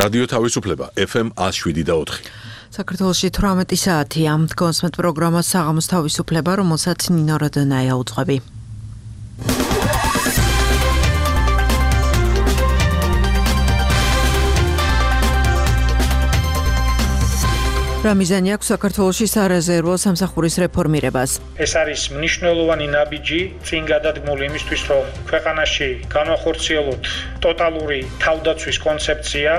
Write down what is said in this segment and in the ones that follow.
რადიო თავისუფლება FM 107.4. საქართველოში 18 საათია. Კონსმეთ პროგრამა საღამოს თავისუფლება, რომელსაც ნინო როდონაია უძღვები. რა მიზანი აქვს საქართველოში სარეზერვო სამსახურის რეფორმირებას? ეს არის მნიშვნელოვანი ნაბიჯი წინ გადადგმული იმისთვის, რომ ქვეყანაში განვახორციელოთ ტოტალური თავდაცვის კონცეფცია.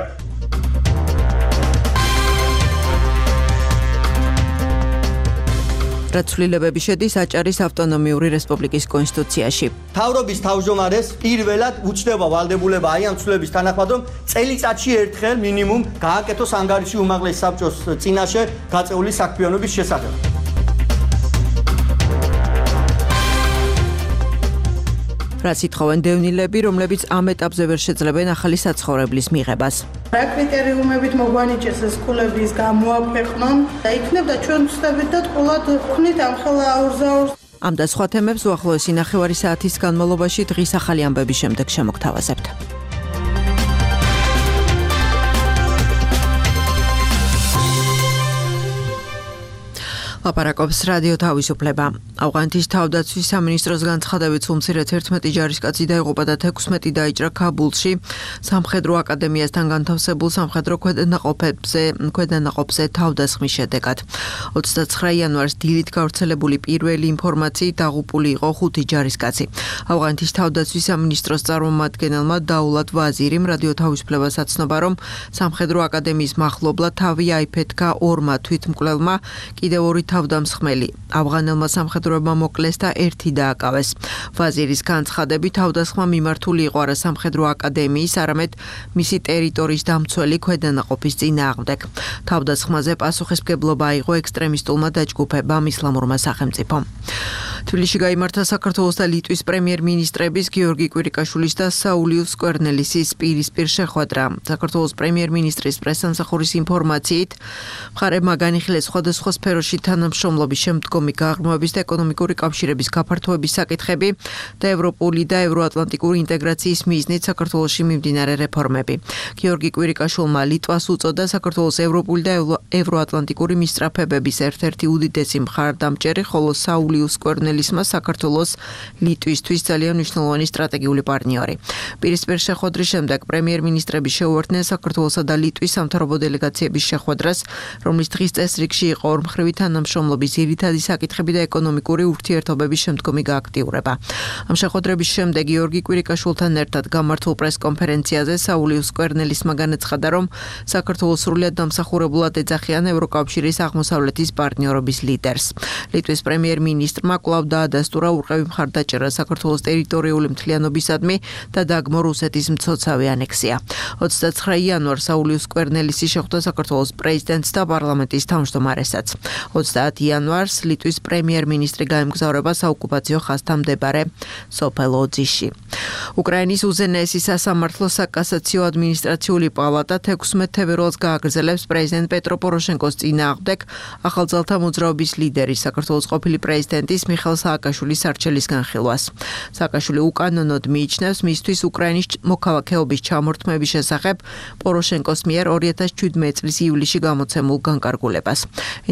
რაც ცვლილებები შედის აჭარის ავტონომიური რესპუბლიკის კონსტიტუციაში. თავრობის თავმჯდომარეს პირველად უჩნდება ვალდებულება აი ამ ცვლილების თანახმად, რომ წელიწადში ერთხელ მინიმუმ გააკეთოს ანგარიში უმაღლეს საბჭოს წინაშე გაწეული საქმიანობის შესახებ. რაც ითხოვენ დევნილები, რომლებიც ამ ეტაპზე ვერ შეძლებენ ახალი საცხოვრებლის მიღებას. რა კრიტერიუმებით მოგვანიჭეს ეს ქულების გამოაქვეყნონ და იქნებოდა ჩვენ ვცდებით და თქულად ვქნით ამ ხელა აურზაურს. ამ და სხვა თემებს უახლოესი ნახევარი საათის განმავლობაში დღის ახალი ამბების შემდეგ შემოგთავაზებთ. ლაპარაკობს რადიო თავისუფლება. ავღანეთის თავდაცვის სამინისტროს განცხადებით უმცირედ 11 ჯარისკაცი დაიღუპა და 16 დაიჭრა ქაბულში სამხედრო აკადემიასთან განთავსებულ სამხედრო ქვედანაყოფზე თავდასხმის შედეგად. 29 იანვარს დილით გავრცელებული პირველი ინფორმაციით დაღუპული იყო 5 ჯარისკაცი. ავღანეთის თავდაცვის სამინისტროს წარმომადგენელმა დაულად ვაზირიმ რადიო თავისუფლებას აცნობა, რომ სამხედრო აკადემიის მახლობლად თავი აიფეთქა ორმა თვითმკვლელმა, კიდევ ორი თავდამსხმელი. ავღანელმა სამხედროებმა მოკლეს და ერთი დააკავეს. ვაზირის განცხადებით თავდასხმა მიმართული იყო არა სამხედრო აკადემიის, არამედ მისი ტერიტორიის დამცველი ქვედანაყოფის წინააღმდეგ. თავდასხმაზე პასუხისმგებლობა აიღო ექსტრემისტულმა დაჯგუფებამ ისლამურმა სახელმწიფომ. თბილისში გაიმართა საქართველოს და ლიტვის პრემიერ-მინისტრების გიორგი კვირიკაშვილის და საულიუს სკვერნელისის პირისპირ შეხვედრა. საქართველოს პრემიერ-მინისტრის პრესსამსახურის ინფორმაციით, მხარეებმა განიხილეს სხვადასხვა სფეროში თანამშრომლობის შემდგომი გაღრმავების და ეკონომიკური კავშირების გაფართოების საკითხები და ევროპული და ევროატლანტიკური ინტეგრაციის მიზნით საქართველოში მიმდინარე რეფორმები. გიორგი კვირიკაშვილმა ლიტვას უწოდა საქართველოს ევროპული და ევროატლანტიკური მისწრაფებების ერთ-ერთი უდიდესი მხარდამჭერი, ხოლო საულიუს სკვერნელისმა საქართველოს ლიტვისთვის ძალიან მნიშვნელოვანი სტრატეგიული პარტნიორი. პირისპირ შეხვედრის შემდეგ პრემიერ-მინისტრები შეუერთდნენ საქართველოსა და ლიტვის სამთავრობო დელეგაციების შეხვედრას, რომლის დღის წესრიგში იყო ორმხრივი თანამშრომლობის ძირითადი საკითხები და ეკონომიკური ურთიერთობების შემდგომი გააქტიურება. ამ შეხვედრების შემდეგ გიორგი კვირიკაშვილთან ერთად გამართულ პრესკონფერენციაზე საულიუს სკვერნელისმა განაცხადა, რომ საქართველოს სრულად დამსახურებულად ეძახიან ევროკავშირის აღმოსავლეთის პარტნიორობის ლიდერს. ლიტვის პრემიერ-მინისტრმა კვლავ დაადასტურა ურყევი მხარდაჭერა საქართველოს ტერიტორიული მთლიანობისადმი და დაგმო რუსეთის მცოცავი ანექსია. 29 იანვარს საულიუს სკვერნელისი შეხვდა საქართველოს პრეზიდენტს და პარლამენტის თავმჯდომარესაც. 30 იანვარს ლიტვის პრემიერ-მინისტრი გაემგზავრება საოკუპაციო ხაზთან მდებარე სოფელ ოძიში. უკრაინის უზენაესი სასამართლო საკასაციო ადმინისტრაციული პალატა 16 თებერვალს გააგრძელებს პრეზიდენტ პეტრო პოროშენკოს წინააღმდეგ ახალძალთა მოძრაობის ლიდერის საქართველოს ყოფილი პრეზიდენტის მიხეილ სააკაშვილის არჩევის განხილვას. სააკაშვილი უკანონოდ მიიჩნევს მისთვის უკრაინის მოქალაქეობის ჩამორთმების შესახებ პოროშენკოს მიერ 2017 წლის ივლისში გამოცემულ განკარგულებას.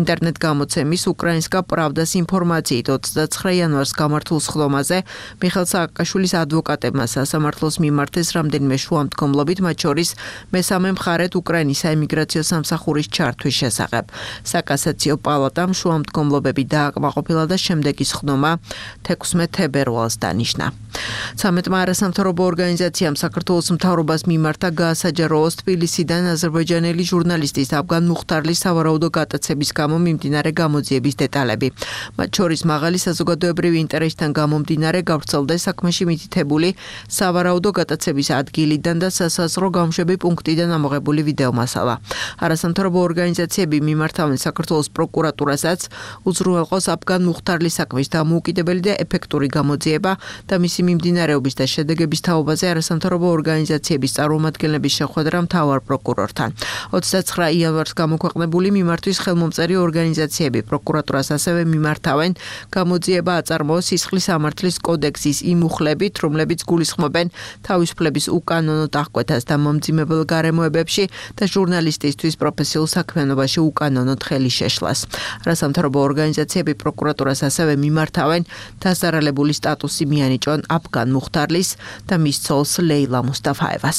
ინტერნეტ გამოცემის უკრაინსკა პრავდას ინფორმაციით 29 იანვარს გამართულ სხდომაზე მიხეილ სააკაშვილის ადვოკატებმა სასამართლოს მიმართეს რამდენიმე შუამდგომლობით, მათ შორის მესამე მხარედ უკრაინის საიმიგრაციო სამსახურის ჩართვის შესახებ. საკასაციო პალატამ შუამდგომლობები დააკმაყოფილა და შემდეგი სხდომა 16 თებერვალს დანიშნა. 13 არასამთავრობო ორგანიზაციამ საქართველოს მთავრობას მიმართა გაასაჯაროოს თბილისიდან აზერბაიჯანელი ჟურნალისტის აფგან მუხტარლის სავარაუდო გატაცების გამო მიმდინარე გამოძიების დეტალები. მათ შორის მაღალი საზოგადოებრივი ინტერესიდან გამომდინარე გავრცელდა საქმეში მითითებული სავარაუდო გატაცების ადგილიდან და სასაზღვრო გამშვები პუნქტიდან ამოღებული ვიდეომასალა. არასამთავრობო ორგანიზაციები მიმართავენ საქართველოს პროკურატურასაც უზრუნველყოს აფგან მუხტარლის საქმის დამოუკიდებელი და ეფექტური გამოძიება და მისი მიმდინარეობის და შედეგების თაობაზე არასამთავრობო ორგანიზაციების წარმომადგენლების შეხვედრა მთავარ პროკურორთან. 29 იანვარს გამოქვეყნებული მიმართვის ხელმომწერი ორგანიზაციები პროკურატურას ასევე მიმართავენ გამოძიება აწარმოოს სისხლის სამართლის კოდექსის იმ მუხლებით, რომლებიც გულისხმობენ თავისუფლების უკანონო დახკვეთას და მომძიმებელ გარემოებებში და ჟურნალისტისთვის პროფესიულ საქმიანობაში უკანონოდ ხელის შეშლას. არასამთავრობო ორგანიზაციები პროკურატურას ასევე მიმართავენ დასარალებული სტატუსი მიანიჭონ აფგან მუხთარლის და მის ცოლს ლეილა მუსტაფაევას.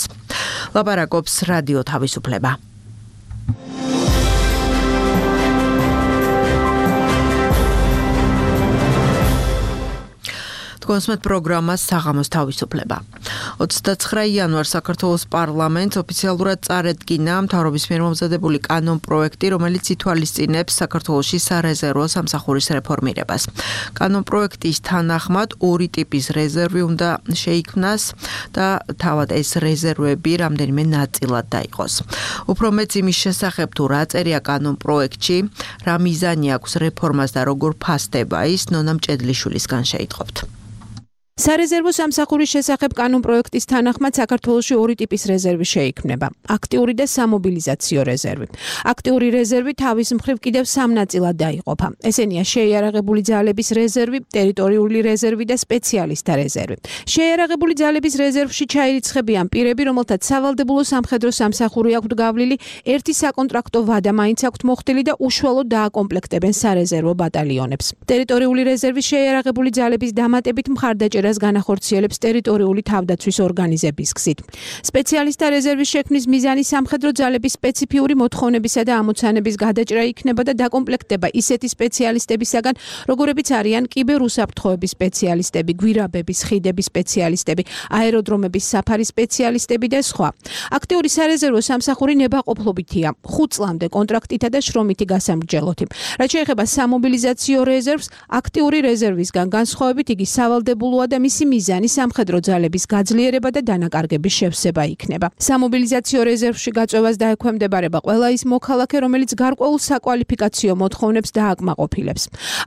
ლაპარაკობს რადიო თავისუფლება. კონსმეთ პროგრამა საღამოს თავისუფლება. 29 იანვარს საქართველოს პარლამენტს ოფიციალურად წარედგინა მთავრობის მიერ მომზადებული კანონპროექტი, რომელიც ითვალისწინებს საქართველოში სარეზერვო სამსახურის რეფორმირებას. კანონპროექტის თანახმად ორი ტიპის რეზერვი უნდა შეიქმნას და თავად ეს რეზერვები რამდენიმე ნაწილად დაიყოს. უფრო მეც იმის შესახებ თუ რა წერია კანონპროექტში, რა მიზანი აქვს რეფორმას და როგორ ფასდება ის, ნონა მჭედლიშვილისგან შეიტყობთ. სარეზერვო სამსახურის შესახებ კანონპროექტის თანახმად საქართველოში ორი ტიპის რეზერვი შეიქმნება: აქტიური და სამობილიზაციო რეზერვი. აქტიური რეზერვი თავის მხრივ კიდევ სამ ნაწილად დაიყოფა. ესენია შეიარაღებული ძალების რეზერვი, ტერიტორიული რეზერვი და სპეციალისტთა რეზერვი. შეიარაღებული ძალების რეზერვში ჩაირიცხებიან პირები, რომელთაც სავალდებულო სამხედრო სამსახური აქვთ გავლილი, ერთი საკონტრაქტო ვადა მაინც აქვთ მოხდილი და უშუალოდ დააკომპლექტებენ სარეზერვო ბატალიონებს. ტერიტორიული რეზერვის შეიარაღებული ძალების დამატებით მხარდაჭერას განახორციელებს ტერიტორიული თავდაცვის ორგანიზების გზით. სპეციალისტთა რეზერვის შექმნის მიზანი სამხედრო ძალების სპეციფიური მოთხოვნებისა და ამოცანების გადაჭრა იქნება და დაკომპლექტება ისეთი სპეციალისტებისაგან, როგორებიც არიან კიბერუსაფრთხოების სპეციალისტები, გვირაბების, ხიდების სპეციალისტები, აეროდრომების საფარის სპეციალისტები და სხვა. აქტიური სარეზერვო სამსახური ნებაყოფლობითია 5 წლამდე კონტრაქტითა და შრომითი გასამრჯელოთი. რაც შეეხება სამობილიზაციო რეზერვს, აქტიური რეზერვისგან განსხვავებით იგი სავალდებულოა და მისი მიზანი სამხედრო ძალების გაძლიერება და დანაკარგების შევსება იქნება. სამობილიზაციო რეზერვში გაწევას დაექვემდებარება ყველა ის მოქალაქე, რომელიც გარკვეულ საკვალიფიკაციო მოთხოვნებს დააკმაყოფილებს.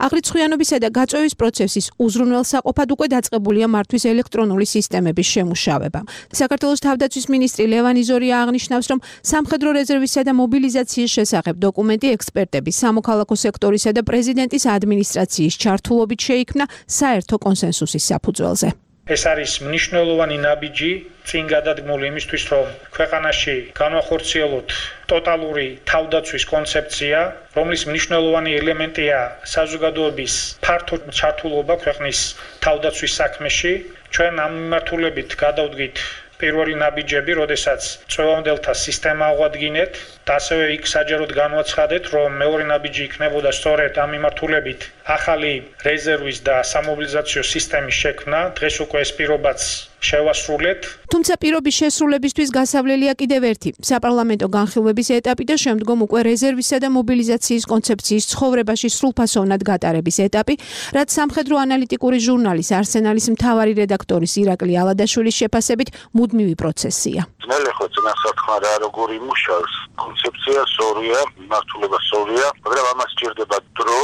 აღრიცხვიანობისა და გაწევის პროცესის უზრუნველსაყოფად უკვე დაწყებულია მართვის ელექტრონული სისტემების შემუშავება. საქართველოს თავდაცვის მინისტრი ლევან იზორია აღნიშნავს, რომ სამხედრო რეზერვისა და მობილიზაციის შესახებ დოკუმენტი ექსპერტების, სამოქალაქო სექტორისა და პრეზიდენტის ადმინისტრაციის ჩართულობით შეიქმნა საერთო კონსენსუსის საფუძველზე. ეს არის მნიშვნელოვანი ნაბიჯი წინ გადადგმული იმისთვის, რომ ქვეყანაში განვახორციელოთ ტოტალური თავდაცვის კონცეფცია, რომლის მნიშვნელოვანი ელემენტია საზოგადოების ფართო ჩართულობა ქვეყნის თავდაცვის საქმეში. ჩვენ ამ მიმართულებით გადავდგით პირველი ნაბიჯები, როდესაც წვევამდელთა სისტემა აღვადგინეთ და ასევე იქ საჯაროდ განვაცხადეთ, რომ მეორე ნაბიჯი იქნებოდა სწორედ ამ მიმართულებით ახალი რეზერვის და სამობილიზაციო სისტემის შექმნა. დღეს უკვე ეს პირობაც შევასრულეთ. თუმცა პირობის შესრულებისთვის გასავლელია კიდევ ერთი საპარლამენტო განხილვების ეტაპი და შემდგომ უკვე რეზერვისა და მობილიზაციის კონცეფციის ცხოვრებაში სრულფასოვნად გატარების ეტაპი, რაც სამხედრო ანალიტიკური ჟურნალის არსენალის მთავარი რედაქტორის ირაკლი ალადაშვილის შეფასებით მუდმივი პროცესია. ძნელი ხო წინასახმა რა როგორი მუშაობს კონცეფცია სწორია, მიმართულება სწორია, მაგრამ ამას სჭირდება დრო,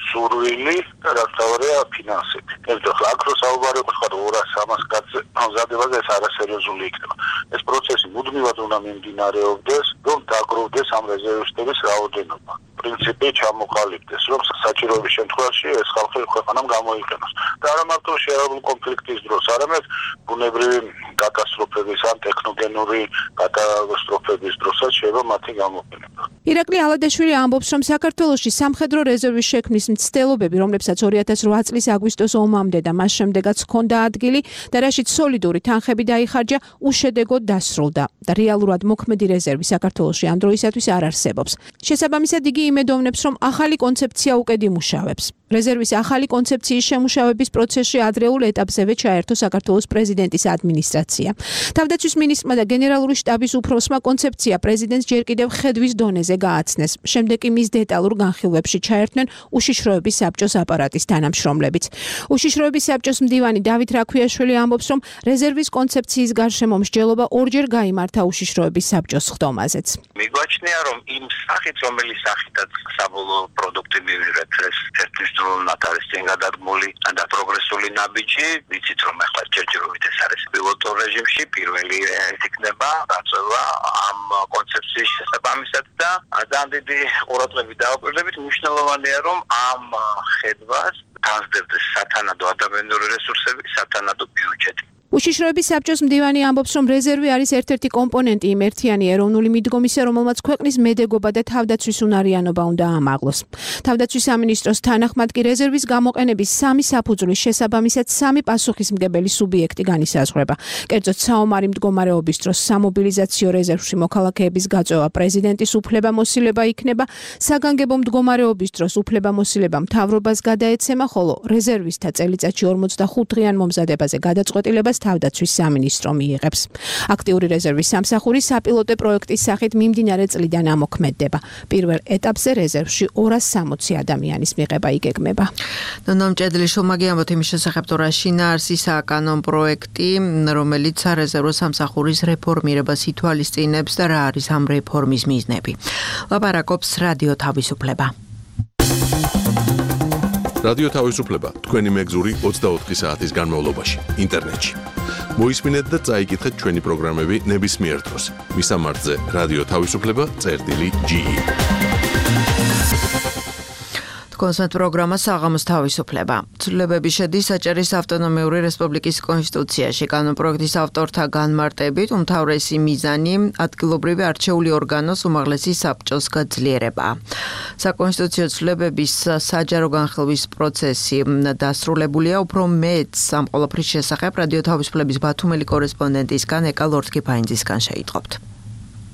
სურვილი და რაც თავია ფინანსები. ერთად აკრო საუბარი ხარ 200-300 კაცზე ამზადებაზე ეს არასერიოზული იქნება. ეს პროცესი მუდმივად უნდა მიმდინარეობდეს, რომ დაგროვდეს ამ რეზერვისტების რაოდენობა. პრინციპი ჩამოყალიბდეს, რომ საჭიროების შემთხვევაში ეს ხალხი ქვეყანამ გამოიყენოს. და არა მარტო შეერაღებული კონფლიქტის დროს, არამედ ბუნებრივი კატასტროფების ან ტექნოგენური კატასტროფების დროსაც შეიძლება მათი გამოყენება. ირაკლი ალადაშვილი ამბობს, რომ საქართველოში სამხედრო რეზერვის შექმნის მცდელობები, რომლებსაც 2008 წლის აგვისტოს ომამდე და მას შემდეგაც ჰქონდა ადგილი და რაშიც სოლიდური თანხები დაიხარჯა, უშედეგოდ დასრულდა და რეალურად მოქმედი რეზერვი საქართველოში ამ დროისათვის არ არსებობს. შესაბამისად, იგი იმედოვნებს, რომ ახალი კონცეფცია უკედ იმუშავებს. რეზერვის ახალი კონცეფციის შემუშავების პროცესში ადრეულ ეტაპზევე ჩაერთო საქართველოს პრეზიდენტის ადმინისტრაცია. თავდაცვის მინისტრმა და გენერალური შტაბის უფროსმა კონცეფცია პრეზიდენტს ჯერ კიდევ ხედვის დონეზე გააცნეს. შემდეგ კი მის დეტალურ განხილვებში ჩაერთნენ უშიშროების საბჭოს აპარატის თანამშრომლებიც. უშიშროების საბჭოს მდივანი დავით რაქვიაშვილი ამბობს, რომ რეზერვის კონცეფციის გარშემო მსჯელობა ორჯერ გაიმართა უშიშროების საბჭოს ხდომაზეც. მიგვაჩნია, რომ იმ სახით, რომელიც სახითაც საბოლოო პროდუქტი მივიღეთ, ეს ერთის მნიშვნელოვნად არის წინ გადადგმული და პროგრესული ნაბიჯი, ვიცით რომ ახლა ჯერჯერობით ეს არის პილოტურ რეჟიმში, პირველი იქნება დაწევა ამ კონცეფციის შესაბამისად და ძალიან დიდი ყურადღებით დავაკვირდებით, მნიშვნელოვანია რომ ამ ხედვას განსხვავდეს სათანადო ადამიანური რესურსები, სათანადო ბიუჯეტი. უშიშროების საბჭოს მდივანი ამბობს, რომ რეზერვი არის ერთ-ერთი კომპონენტი იმ ერთიანი ეროვნული მიდგომისა, რომელმაც ქვეყნის მედეგობა და თავდაცვის უნარიანობა უნდა ამაღლოს. თავდაცვის სამინისტროს თანახმად კი რეზერვის გამოყენების სამი საფუძვლის შესაბამისად სამი პასუხისმგებელი სუბიექტი განისაზღვრება. კერძოდ საომარი მდგომარეობის დროს სამობილიზაციო რეზერვში მოქალაქეების გაწევა პრეზიდენტის უფლებამოსილება იქნება, საგანგებო მდგომარეობის დროს უფლებამოსილება მთავრობას გადაეცემა, ხოლო რეზერვისთა წელიწადში 45 დღიან მომზადებაზე გადაწყვეტილებას თავდაცვის სამინისტრო მიიღებს. აქტიური რეზერვის სამსახური საპილოტო პროექტის სახით მიმდინარე წლიდან ამოქმედდება. პირველ ეტაპზე რეზერვში 260 ადამიანის მიღება იგეგმება. ნონა მჭედლიშვილმა გიამბოთ იმის შესახებ, თუ რა შინაარსი საკანონ პროექტი, რომელიც სარეზერვო სამსახურის რეფორმირებას ითვალისწინებს და რა არის ამ რეფორმის მიზნები. ლაპარაკობს რადიო თავისუფლება. რადიო თავისუფლება თქვენი მეგზური 24 საათის განმავლობაში ინტერნეტში. მოისმინეთ და წაიკითხეთ ჩვენი პროგრამები ნებისმიერ დროს. მისამართზე რადიო თავისუფლება.ge. კონსერტ პროგრამა საღამოს თავისუფლება. ცვლილებები შედის საჭერის ავტონომიური რესპუბლიკის კონსტიტუციაში. კანონპროექტის ავტორთა განმარტებით უმთავრესი მიზანი ადგილობრივი არჩეული ორგანოს უმაღლესი საბჭოს გაძლიერებაა. საკონსტიტუციო ცვლილებების საჯარო განხილვის პროცესი დასრულებულია. უფრო მეტს ამ ყველაფრის შესახებ რადიო თავისუფლების ბათუმელი კორესპონდენტისგან ეკა ლორთქიფაინძისგან შეიტყობთ.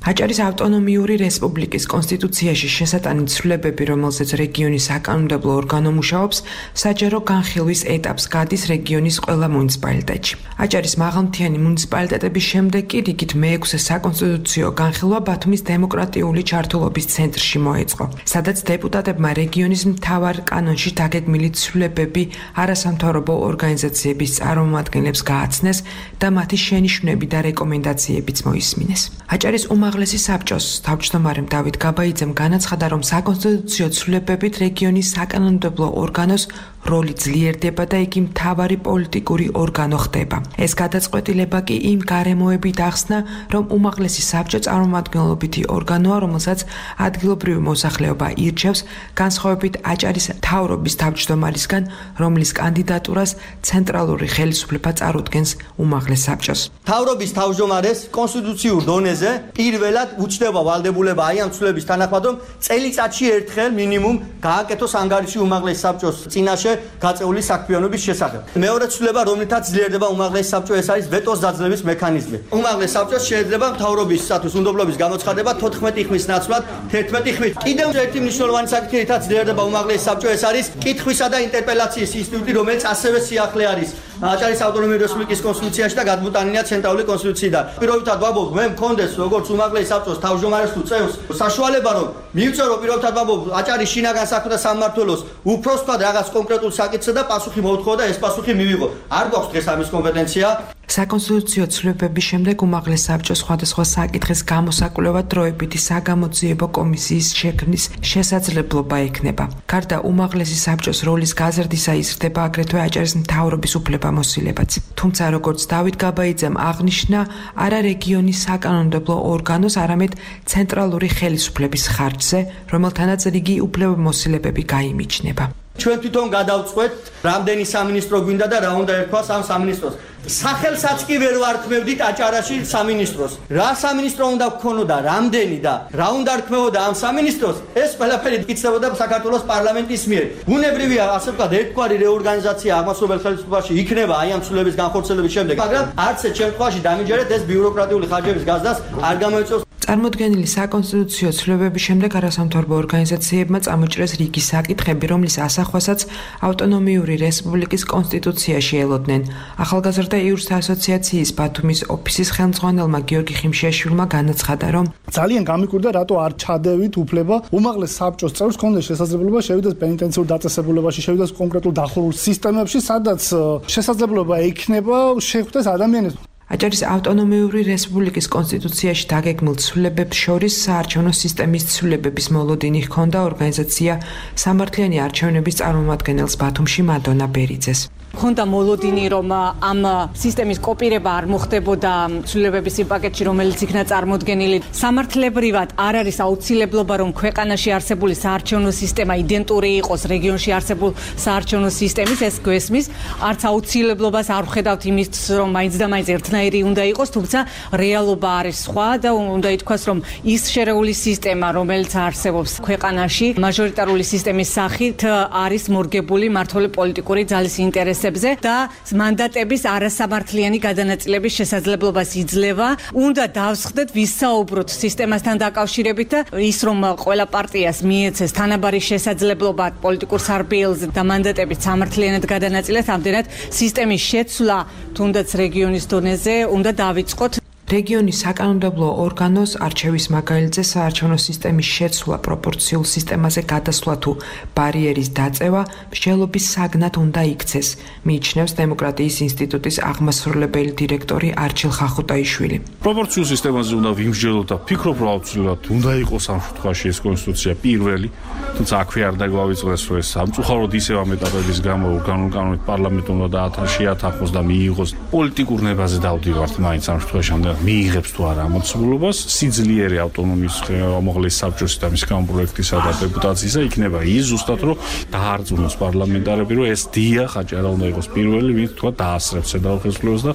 აჭარის ავტონომიური რესპუბლიკის კონსტიტუციაში შესატანი ცვლილებები, რომელზეც რეგიონის საკანონმდებლო ორგანო მუშაობს, საჯარო განხილვის ეტაპს გადის რეგიონის ყველა მუნიციპალიტეტში. აჭარის მაღალმთიანი მუნიციპალიტეტების შემდეგ კი რიგით მე-6 საკონსტიტუციო განხილვა ბათუმის დემოკრატიული ჩართულობის ცენტრში მოეწყო, სადაც დეპუტატებმა რეგიონის მთავარ კანონში დაგეგმილი ცვლილებები არასამთავრობო ორგანიზაციების წარმომადგენლებს გააცნეს და მათი შენიშვნები და რეკომენდაციებიც მოისმინეს. აჭარის უმაღლესი საბჭოს თავმჯდომარემ დავით გაბაიძემ განაცხადა, რომ საკონსტიტუციო ცვლილებებით რეგიონის საკანონმდებლო ორგანოს როლი ძლიერდება და იგი მთავარი პოლიტიკური ორგანო ხდება. ეს გადაწყვეტილება კი იმ გარემოებით ახსნა, რომ უმაღლესი საბჭო წარმომადგენლობითი ორგანოა, რომელსაც ადგილობრივი მოსახლეობა ირჩევს, განსხვავებით აჭარის მთავრობის თავმჯდომარისგან, რომლის კანდიდატურას ცენტრალური ხელისუფლება წარუდგენს უმაღლეს საბჭოს. მთავრობის თავმჯდომარეს კონსტიტუციურ დონეზე პირველად უჩნდება ვალდებულება აი ამ ცვლილების თანახმად, რომ წელიწადში ერთხელ მინიმუმ გააკეთოს ანგარიში უმაღლეს საბჭოს წინაშე გაწეული საქმიანობის შესახებ. მეორე ცვლილება, რომლითაც ძლიერდება უმაღლეს საბჭო, ეს არის ვეტოს დაძლევის მექანიზმი. უმაღლეს საბჭოს შეიძლება მთავრობისათვის უნდობლობის გამოცხადება 14 ხმის ნაცვლად 11 ხმით. კიდევ ერთი მნიშვნელოვანი საკითხი, რითაც ძლიერდება უმაღლეს საბჭო, ეს არის კითხვისა და ინტერპელაციის ინსტიტუტი, რომელიც ასევე სიახლე არის აჭარის ავტონომიური რესპუბლიკის კონსტიტუციაში და გადმოტანილია ცენტრალური კონსტიტუციიდან. პირობითად ვამბობ, მე მქონდეს როგორც უმაღლეს საბჭოს თავმჯდომარეს თუ წევს საშუალება, რომ მივწერო პირობითად ვამბობ აჭარის შინაგან საქმეთა სამმართველოს უფროსთვად რაღაც კონკრეტულ საკითხზე და პასუხი მოუთხოვა და ეს პასუხი მივიღო. არ გვაქვს დღეს ამის კომპეტენცია. საკონსტიტუციო ცვლილებების შემდეგ უმაღლეს საბჭოს სხვადასხვა საკითხის გამოსაკვლევად დროებითი საგამოძიებო კომისიის შექმნის შესაძლებლობა ექნება. გარდა უმაღლესი საბჭოს როლის გაზრდისა იზრდება აგრეთვე აჭარის მთავრობის უფლებამოსილებაც. თუმცა როგორც დავით გაბაიძემ აღნიშნა, არა რეგიონის საკანონმდებლო ორგანოს, არამედ ცენტრალური ხელისუფლების ხარჯზე, რომელთანაც რიგი უფლებამოსილებები გაიმიჩნება. ჩვენ თვითონ გადავწყვეტ, რამდენი სამინისტრო გვინდა და რა უნდა ერქვას ამ სამინისტროს. სახელსაც კი ვერ ვარქმევდით აჭარაში სამინისტროს. რა სამინისტრო უნდა გქონოდა, რამდენი და რა უნდა რქმეოდა ამ სამინისტროს, ეს ყველაფერი იკითხებოდა საქართველოს პარლამენტის მიერ. ბუნებრივია, ასე ვთქვათ, ერთგვარი რეორგანიზაცია აღმასრულებელ ხელისუფლებაში იქნება აი ამ ცვლილების განხორციელების შემდეგ, მაგრამ არც ერთ შემთხვევაში დამიჯერეთ ეს ბიუროკრატიული ხარჯების გაზრდას არ გამოიწვევს. წარმოდგენილი საკონსტიტუციო ცვლილებების შემდეგ არასამთავრობო ორგანიზაციებმა წამოჭრეს რიგი საკითხები, რომლის ასახვასაც ავტონომიური რესპუბლიკის კონსტიტუციაში ელოდნენ. ახალგაზრდა იურისტთა ასოციაციის ბათუმის ოფისის ხელმძღვანელმა გიორგი ხიმშიაშვილმა განაცხადა, რომ ძალიან გამიკვირდა, რატო არ ჩადევით უფლება უმაღლეს საბჭოს წევრს ქონდეს შესაძლებლობა შევიდეს პენიტენციურ დაწესებულებაში, შევიდეს კონკრეტულ დახურულ სისტემებში, სადაც შესაძლებლობა ექნება შეხვდეს ადამიანებს. აჭარის ავტონომიური რესპუბლიკის კონსტიტუციაში დაგეგმილ ცვლილებებს შორის საარჩევნო სისტემის ცვლილებების მოლოდინი ჰქონდა ორგანიზაცია სამართლიანი არჩევნების წარმომადგენელს ბათუმში მადონა ბერიძეს. Ხონდა მოლოდინი, რომ ამ სისტემის კოპირება არ მოხდებოდა ცვლილებების იმ პაკეტში, რომელიც იქნა წარმოდგენილი. სამართლებრივად არ არის აუცილებლობა, რომ ქვეყანაში არსებული საარჩევნო სისტემა იდენტური იყოს რეგიონში არსებულ საარჩევნო სისტემის, ეს გვესმის. არც აუცილებლობას არ ვხედავთ იმის, რომ მაინც და მაინც ერთნაირი უნდა იყოს, თუმცა რეალობა არის სხვა და უნდა ითქვას, რომ ის შერეული სისტემა, რომელიც არსებობს ქვეყანაში, მაჟორიტარული სისტემის სახით არის მორგებული მმართველი პოლიტიკური ძალის ინტერესებზე და მანდატების არასამართლიანი გადანაწილების შესაძლებლობას იძლევა. უნდა დავსხდეთ, ვისაუბროთ სისტემასთან დაკავშირებით და ის, რომ ყველა პარტიას მიეცეს თანაბარი შესაძლებლობა პოლიტიკურ სარბიელზე და მანდატების სამართლიანად გადანაწილებას, ამდენად სისტემის შეცვლა თუნდაც რეგიონის დონეზე უნდა დავიწყოთ. რეგიონის საკანონმდებლო ორგანოს არჩევის მაგალითზე საარჩევნო სისტემის შეცვლა პროპორციულ სისტემაზე გადასვლა თუ ბარიერის დაწევა მსჯელობის საგნად უნდა იქცეს, მიიჩნევს დემოკრატიის ინსტიტუტის აღმასრულებელი დირექტორი არჩილ ხახუტაიშვილი. პროპორციულ სისტემაზე უნდა ვიმსჯელოთ და ვფიქრობ, რომ აუცილებლად უნდა იყოს ამ შემთხვევაში ეს კონსტიტუცია პირველი, თუმცა აქვე არ დაგვავიწყდეს, რომ ეს სამწუხაროდ ისევ ამ ეტაპების გამო კანონით პარლამენტმა უნდა შეათანხმოს და მიიღოს პოლიტიკურ ნებაზე დავდივართ მაინც ამ შემთხვევაში მიიღებს თუ არა ამოცნობას სიძლიერე ავტონომიის უმაღლესი საბჭოს და მის კანონპროექტისა და დეპუტაციისა იქნება ის ზუსტად რომ დაარწმუნოს პარლამენტარები რომ ეს დიახ აჭარა უნდა იყოს პირველი ვინც თქვა დაასრებს ზედაუხსნელობას და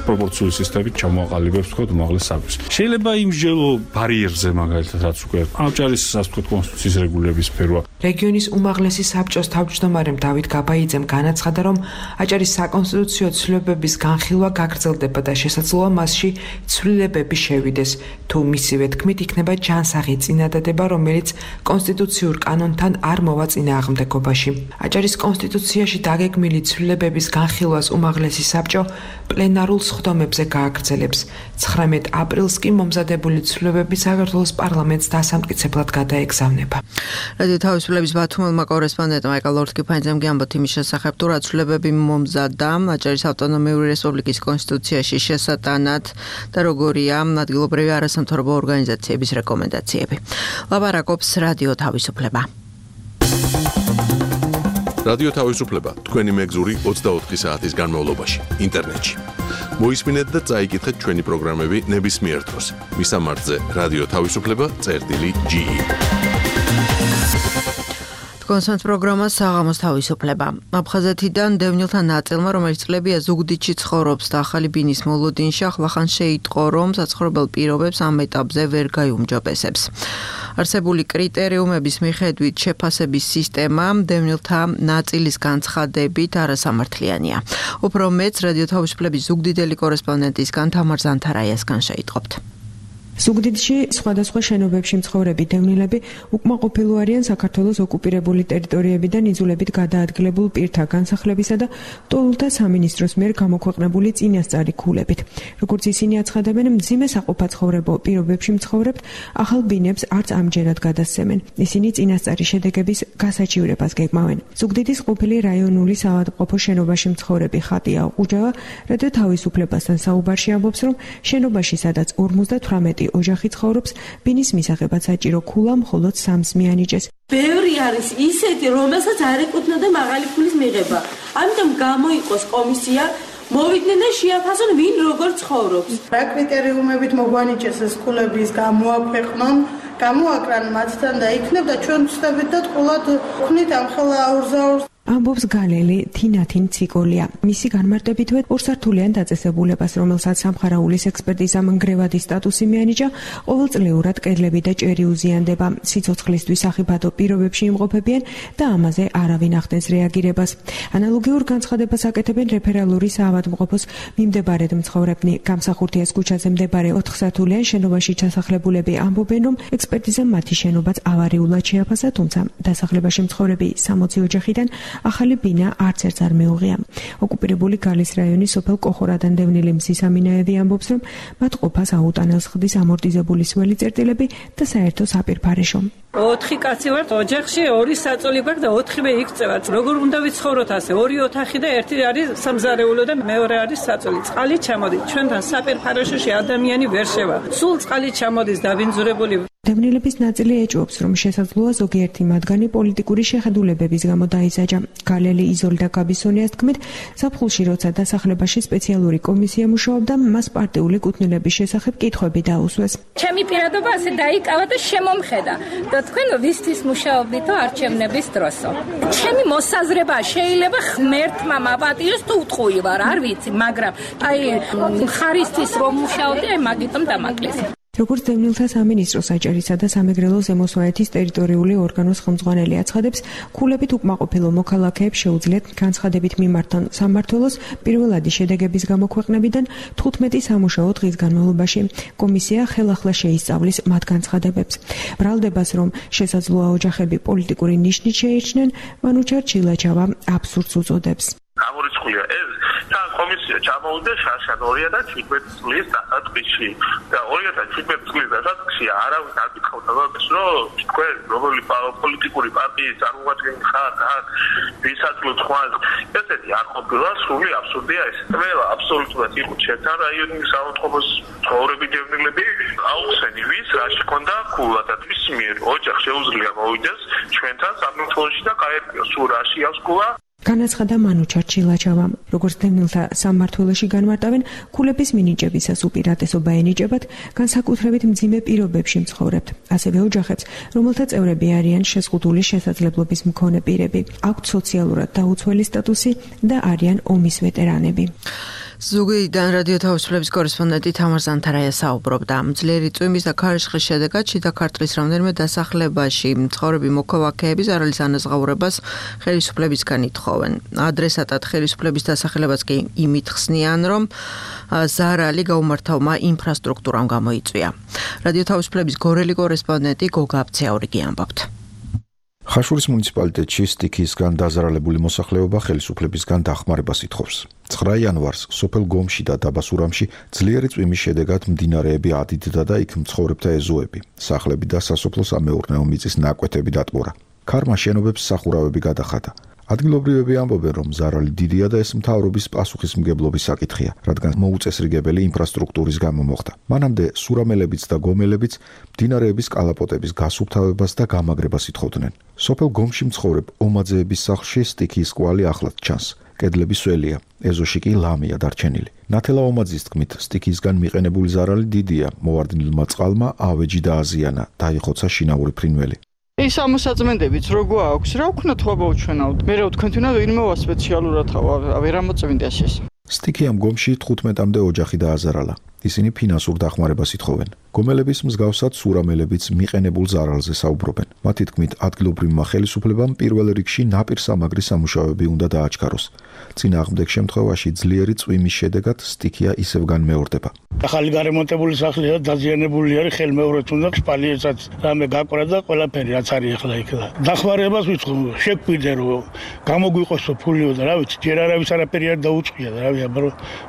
პროპორციული სისტემით ჩამოაყალიბებს თქვა უმაღლეს საბჭოს შეიძლება იმსჯელო ბარიერზე მაგალითად რაც უკვე აჭარის სასტიკო კონსტიტუციის რეგულების სფეროა რეგიონის უმაღლესი საბჭოს თავმჯდომარემ დავით გაბაიძემ განაცხადა რომ აჭარის საკონსტიტუციო ცვლილებების განხილვა გაგრძელდება და შესაძლოა მასში ცვლილებები შევიდეს თუ მისივე თქმით იქნება ჯანსაღი წინადადება რომელიც კონსტიტუციურ კანონთან არ მოვა წინააღმდეგობაში აჭარის კონსტიტუციაში დაგეგმილი ცვლილებების განხილვას უმაღლესი საბჭო პლენარულ სხდომებზე გააგრძელებს 19 აპრილს კი მომზადებული ცვლილებები საქართველოს პარლამენტს დასამტკიცებლად გადაეგზავნება რადიო თავისუფლების ბათუმელმა კორესპონდენტმა ეკა ლორთქიფანიძემ გიამბოთ იმის შესახებ თუ რა ცვლილებები მომზადდა აჭარის ავტონომიური რესპუბლიკის კონსტიტუციაში შესატანად და როგორია ადგილობრივი არასამთავრობო ორგანიზაციების რეკომენდაციები. ლაპარაკობს რადიო თავისუფლება. რადიო თავისუფლება თქვენი მეგზური 24 საათის განმავლობაში ინტერნეტში. მოისმინეთ და წაიკითხეთ ჩვენი პროგრამები ნებისმიერ დროს. მისამართზე რადიო თავისუფლება.ge კონსერტ პროგრამა საღამოს თავისუფლება. აფხაზეთიდან დევნილთა ნაწილმა, რომელიც წლებია ზუგდიდში ცხოვრობს და ახალი ბინის მოლოდინში ახლახან შეიტყო, რომ საცხოვრებელ პირობებს ამ ეტაპზე ვერ გაიუმჯობესებს. არსებული კრიტერიუმების მიხედვით შეფასების სისტემა დევნილთა ნაწილის განცხადებით არასამართლიანია. უფრო მეც რადიო თავისუფლების ზუგდიდელი კორესპონდენტისგან თამარ ზანთარაიასგან შეიტყობთ. ზუგდიდში სხვადასხვა შენობებში მცხოვრები დევნილები უკმაყოფილო არიან საქართველოს ოკუპირებული ტერიტორიებიდან იძულებით გადაადგილებულ პირთა განსახლებისა და ტოლთა სამინისტროს მიერ გამოქვეყნებული წინასწარი ქულებით. როგორც ისინი აცხადებენ, მძიმე საყოფაცხოვრებო პირობებში მცხოვრებთ ახალ ბინებს არც ამჯერად გადასცემენ. ისინი წინასწარი შედეგების გასაჩივრებას გეგმავენ. ზუგდიდის ყოფილი რაიონული საავადმყოფო შენობაში მცხოვრები ხატია ყუჯავა რადიო თავისუფლებასთან საუბარში ამბობს, რომ შენობაში სადაც 58 ოჯახი ცხოვრობს, ბინის მისაღებად საჭირო ქულა მხოლოდ 3-ს მიანიჭეს. ბევრი არის ისეთი, რომელსაც არ ეკუთვნოდა მაღალი ქულის მიღება. ამიტომ გამოიყოს კომისია, მოვიდნენ და შეაფასონ ვინ როგორ ცხოვრობს. რა კრიტერიუმებით მოგვანიჭეს ეს ქულების გამოაქვეყნონ, გამოაკრან მათთან და იქნებ და ჩვენ ვწდებით და თყულად ვქნით ამ ხელა აურზაურს. ამბობს გალელი თინათინ ციკოლია. მისი განმარტებითვე ორსართულიან დაწესებულებას, რომელსაც სამხარაულის ექსპერტიზამ ნგრევადი სტატუსი მიანიჭა, ყოველწლიურად კედლები და ჭერი უზიანდება. სიცოცხლისთვის სახიფათო პირობებში იმყოფებიან და ამაზე არავინ ახდენს რეაგირებას. ანალოგიურ განცხადებას აკეთებენ რეფერალური საავადმყოფოს მიმდებარედ მცხოვრებნი. გამსახურდიას ქუჩაზე მდებარე 4 სართულიან შენობაში ჩასახლებულები ამბობენ, რომ ექსპერტიზამ მათი შენობაც ავარიულად შეაფასა, თუმცა დასახლებაში მცხოვრები 60 ოჯახიდან ახალი ბინა არც ერთს არ მეუღია. ოკუპირებული გალის რაიონის სოფელ კოხორადან დევნილი მზის ამინაევი ამბობს, რომ მათ ყოფას აუტანელს ხდის ამორტიზებული სველი წერტილები და საერთო საპირფარეშო. 4 კაცი ვართ ოჯახში, 2 საწოლი გვაქვს და 4-ვე იქცევათ. როგორ უნდა ვიცხოვროთ ასე? 2 ოთახი და 1 არის სამზარეულო და მეორე არის საწოლი. წყალი ჩამოდის. ჩვენთან საპირფარეშოში ადამიანი ვერ შევა. სულ წყალი ჩამოდის დაბინძურებული. დევნილების ნაწილი ეჭვობს, რომ შესაძლოა ზოგიერთი მათგანი პოლიტიკური შეხედულებების გამო დაიზაჯა. გალელი იზოლდა გაბისონიას თქმით, ზაფხულში როცა დასახლებაში სპეციალური კომისია მუშაობდა, მას პარტიული კუთვნილების შესახებ კითხვები დაუსვეს. ჩემი პირადობა ასე დაიკავა და შემომხედა. და თქვენ ვისთვის მუშაობდითო არჩევნების დროსო. ჩემი მოსაზრება შეიძლება ღმერთმა მაპატიოს თუ უტყუი ვარ, არ ვიცი, მაგრამ აი ხარისთვის რომ მუშაობდი, აი მაგიტომ დამაკლეს. როგორც დევნილთა სამინისტრო საჭერისა და სამეგრელო ზემოსვაეთის ტერიტორიული ორგანოს ხელმძღვანელი აცხადებს, ქულებით უკმაყოფილო მოქალაქეებს შეუძლიათ განცხადებით მიმართონ სამმართველოს პირველადი შედეგების გამოქვეყნებიდან 15 სამუშაო დღის განმავლობაში. კომისია ხელახლა შეისწავლის მათ განცხადებებს. ბრალდებას, რომ შესაძლოა ოჯახები პოლიტიკური ნიშნით შეირჩნენ, მანუჩარ ჩილაჩავა აბსურდს უწოდებს. გამორიცხულია ეს თან კომისია ჩამოვიდა შარშან 2017 წლის დასაწყისში და 2017 წლის დასაწყისში არავინ არ გითხავდა მაგას რომ თქვენ როგორი პოლიტიკური პარტიის წარმომადგენელი ხართ ვისაც თქვენ ესეთი არ ყოფილა სრული აბსურდია ეს ყველა აბსოლუტურად იყო ჩემთან რაიონის საავადმყოფოს ცხოვრები დევნილები აუხსენი ვის რაში ქონდა ქულა და თვის მიერ ოჯახ შეუძლია მოვიდეს ჩვენთან სამმართველოში და გაერკვიოს სულ რაში აქვს ქულა. განაცხადა მანუჩარ ჩილაჩავამ. როგორც დევნილთა სამმართველოში განმარტავენ, ქულების მინიჭებისას უპირატესობა ენიჭებათ განსაკუთრებით მძიმე პირობებში მცხოვრებთ, ასევე ოჯახებს, რომელთა წევრები არიან შეზღუდული შესაძლებლობის მქონე პირები, აქვთ სოციალურად დაუცველი სტატუსი და არიან ომის ვეტერანები. ზუგდიდიდან რადიო თავისუფლების კორესპონდენტი თამარ ზანთარაია საუბრობდა. ძლიერი წვიმის და ქარიშხლის შედეგად შიდა ქართლის რამდენიმე დასახლებაში მცხოვრები მოქალაქეები ზარალის ანაზღაურებას ხელისუფლებისგან ითხოვენ. ადრესატად ხელისუფლების დასახელებას კი იმით ხსნიან, რომ ზარალი გაუმართავმა ინფრასტრუქტურამ გამოიწვია. რადიო თავისუფლების გორელი კორესპონდენტი გოგა აბცაურიგი ამბობთ. ხაშურის მუნიციპალიტეტში სტიქიისგან დაზარალებული მოსახლეობა ხელისუფლებისგან დახმარებას ითხოვს. 9 იანვარს სოფელ გომში და დაბა სურამში ძლიერი წვიმის შედეგად მდინარეები ადიდდა და იქ მცხოვრებთა ეზოები, სახლები და სასოფლო-სამეურნეო მიწის ნაკვეთები დატბორა. ქარმა შენობებს სახურავები გადახადა. ადგილობრივები ამბობენ, რომ ზარალი დიდია და ეს მთავრობის პასუხისმგებლობის საკითხია, რადგან მოუწესრიგებელი ინფრასტრუქტურის გამო მოხდა. მანამდე სურამელებიც და გომელებიც მდინარეების კალაპოტების გასუფთავებას და გამაგრებას ითხოვდნენ. სოფელ გომში მცხოვრებ ომაძეების სახლში სტიქიის კვალი ახლად ჩანს. კედლები სველია, ეზოში კი ლამია დარჩენილი. ნათელა ომაძის თქმით, სტიქიისგან მიყენებული ზარალი დიდია, მოვარდნილმა წყალმა ავეჯი დააზიანა, დაიხოცა შინაური ფრინველი. ის ამოსაწმენდებიც როგორ აქვს, რა ვქნათ ხობა უჩვენავთ. მე რა ვთქვენ თუნა ვინმევა სპეციალურად ვერ ამოწმინდეს ეს. სტიქიამ გომში 15-მდე ოჯახი დააზარალა. ისინი ფინანსურ დახმარებას ითხოვენ. გომელების მსგავსად სურამელებიც მიყენებულ ზარალზე საუბრობენ. მათი თქმით, ადგილობრივმა ხელისუფლებამ პირველ რიგში ნაპირსამაგრის სამუშაოები უნდა დააჩქაროს. წინააღმდეგ შემთხვევაში ძლიერი წვიმის შედეგად სტიქია ისევ განმეორდება. ახალი გარემონტებული სახლია, დაზიანებული არის, ხელმეორედ უნდა შპალიეცაც რამე გაკვრა და ყველაფერი რაც არის ახლა იქ. დახმარებას ვიწყობ, შეგვიდე რომ გამოგვიყოს ფულიო და რა ვიცი, ჯერ არავის არაფერი არ დაუწყია და რა ვიცი, აბა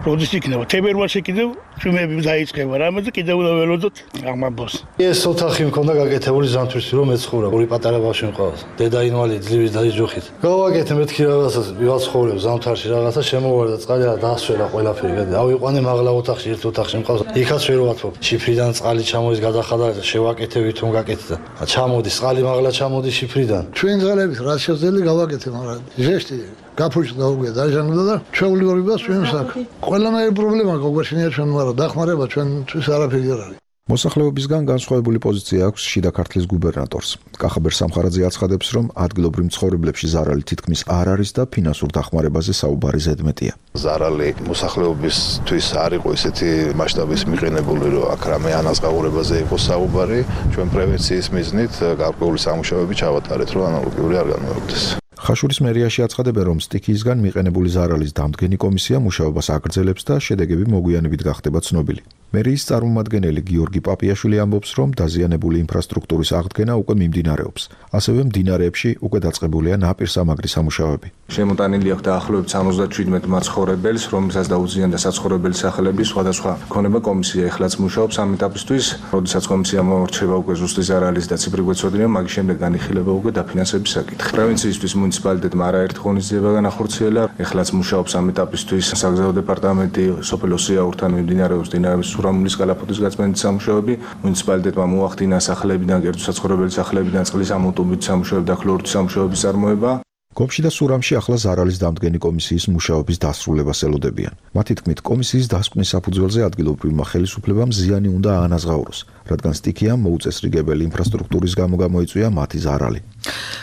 როდის იქნება. თებერვალში კიდევ წვიმები დაიწყება რამე და კიდევ უნდა ველოდოთ აღმაბოს. ეს ოთახი მქონდა გაკეთებული ზამთრის რომ ეცხოვრა, ორი პატარა ბავშვი მყავს. დედა ინვალიდი ძლივი დაიჯოხით. გავაკეთე მეთქი რაღაცას, ვივალცხოვრებ ზამთარში რაღაცა შემოვარდა წყალი და დაასველა ყველაფერი. ავიყვანე მაღლა ოთახში, ერთ ოთახში მყავს. იქაც ვერ ვათქობ. შიფრიდან წყალი ჩამოდის, გადახადა, შევაკეთე ვითომ გაკეთდა. ჩამოდის წყალი მაღლა ჩამოდის შიფრიდან. ჩვენ ძალებით რაც შეძლო გავაკეთე, მაგრამ ჟესტი გაფუჭდა დაუგე დაჟანგდა და ჩვეულებრივად ჩვენს აქ. ყველანაირი პრობლემა გოგოშინია ჩვენ, მაგრამ დახმარება ჩვენთვის არაფერი არ არის. მოსახლეობისგან განსხვავებული პოზიცია აქვს შიდა ქართლის გუბერნატორს. კახაბერ სამხარაძე აცხადებს, რომ ადგილობრივ მცხოვრებლებში ზარალი თითქმის არ არის და ფინანსურ დახმარებაზე საუბარი ზედმეტია. ზარალი მოსახლეობისთვის არ იყო ესეთი მასშტაბის მიყენებული, რომ აქ რამე ანაზღაურებაზე იყო საუბარი. ჩვენ პრევენციის მიზნით გარკვეული სამუშაოები ჩავატარეთ, რომ ანალოგიური არ განმეორდეს. ხაშურის მერიაში აცხადებენ, რომ სტიქიისგან მიყენებული ზარალის დამდგენი კომისია მუშაობას აგრძელებს და შედეგები მოგვიანებით გახდება ცნობილი. მერიის წარმომადგენელი გიორგი პაპიაშვილი ამბობს, რომ დაზიანებული ინფრასტრუქტურის აღდგენა უკვე მიმდინარეობს. ასევე მდინარეებში უკვე დაწყებულია ნაპირსამაგრის სამუშაოები. შემოტანილი აქვს დაახლოებით 77 მაცხოვრებელს, რომელსაც დაუზიანდა საცხოვრებელი სახლები, სხვადასხვა ქონება კომისია ეხლაც მუშაობს ამ ეტაპისთვის. როდესაც კომისია მოორჩება უკვე ზუსტი ზარალის და ციფრი გვეცოდინება, მაგის შემდეგ განიხილება უკვე დაფინანსების საკითხი. პროვინციისთვის მუნიციპალიტეტმა არაერთ ღონისძიება განახორციელა, ეხლაც მუშაობს ამ ეტაპისთვის საგზაო დეპარტამენტი, სოფელ ოსიაურთან მიმდინარეობს დინარების სურამულის კალაპოტის გაწმენდის სამუშაოები, მუნიციპალიტეტმა მოახდინა სახლებიდან კერძო საცხოვრებელი სახლებიდან წყლის ამოტუმით სამუშაოები და ქლორიდის სამუშაოების წარმოება. გომში და სურამში ახლა ზარალის დამდგენი კომისიის მუშაობის დასრულებას ელოდებიან. მათი თქმით, კომისიის დასკვნის საფუძველზე ადგილობრივმა ხელისუფლებამ ზიანი უნდა აანაზღაუროს, რადგან სტიქიამ მოუწესრიგებელი ინფრასტრუქტურის გამო გამოიწვია მათი ზარალი.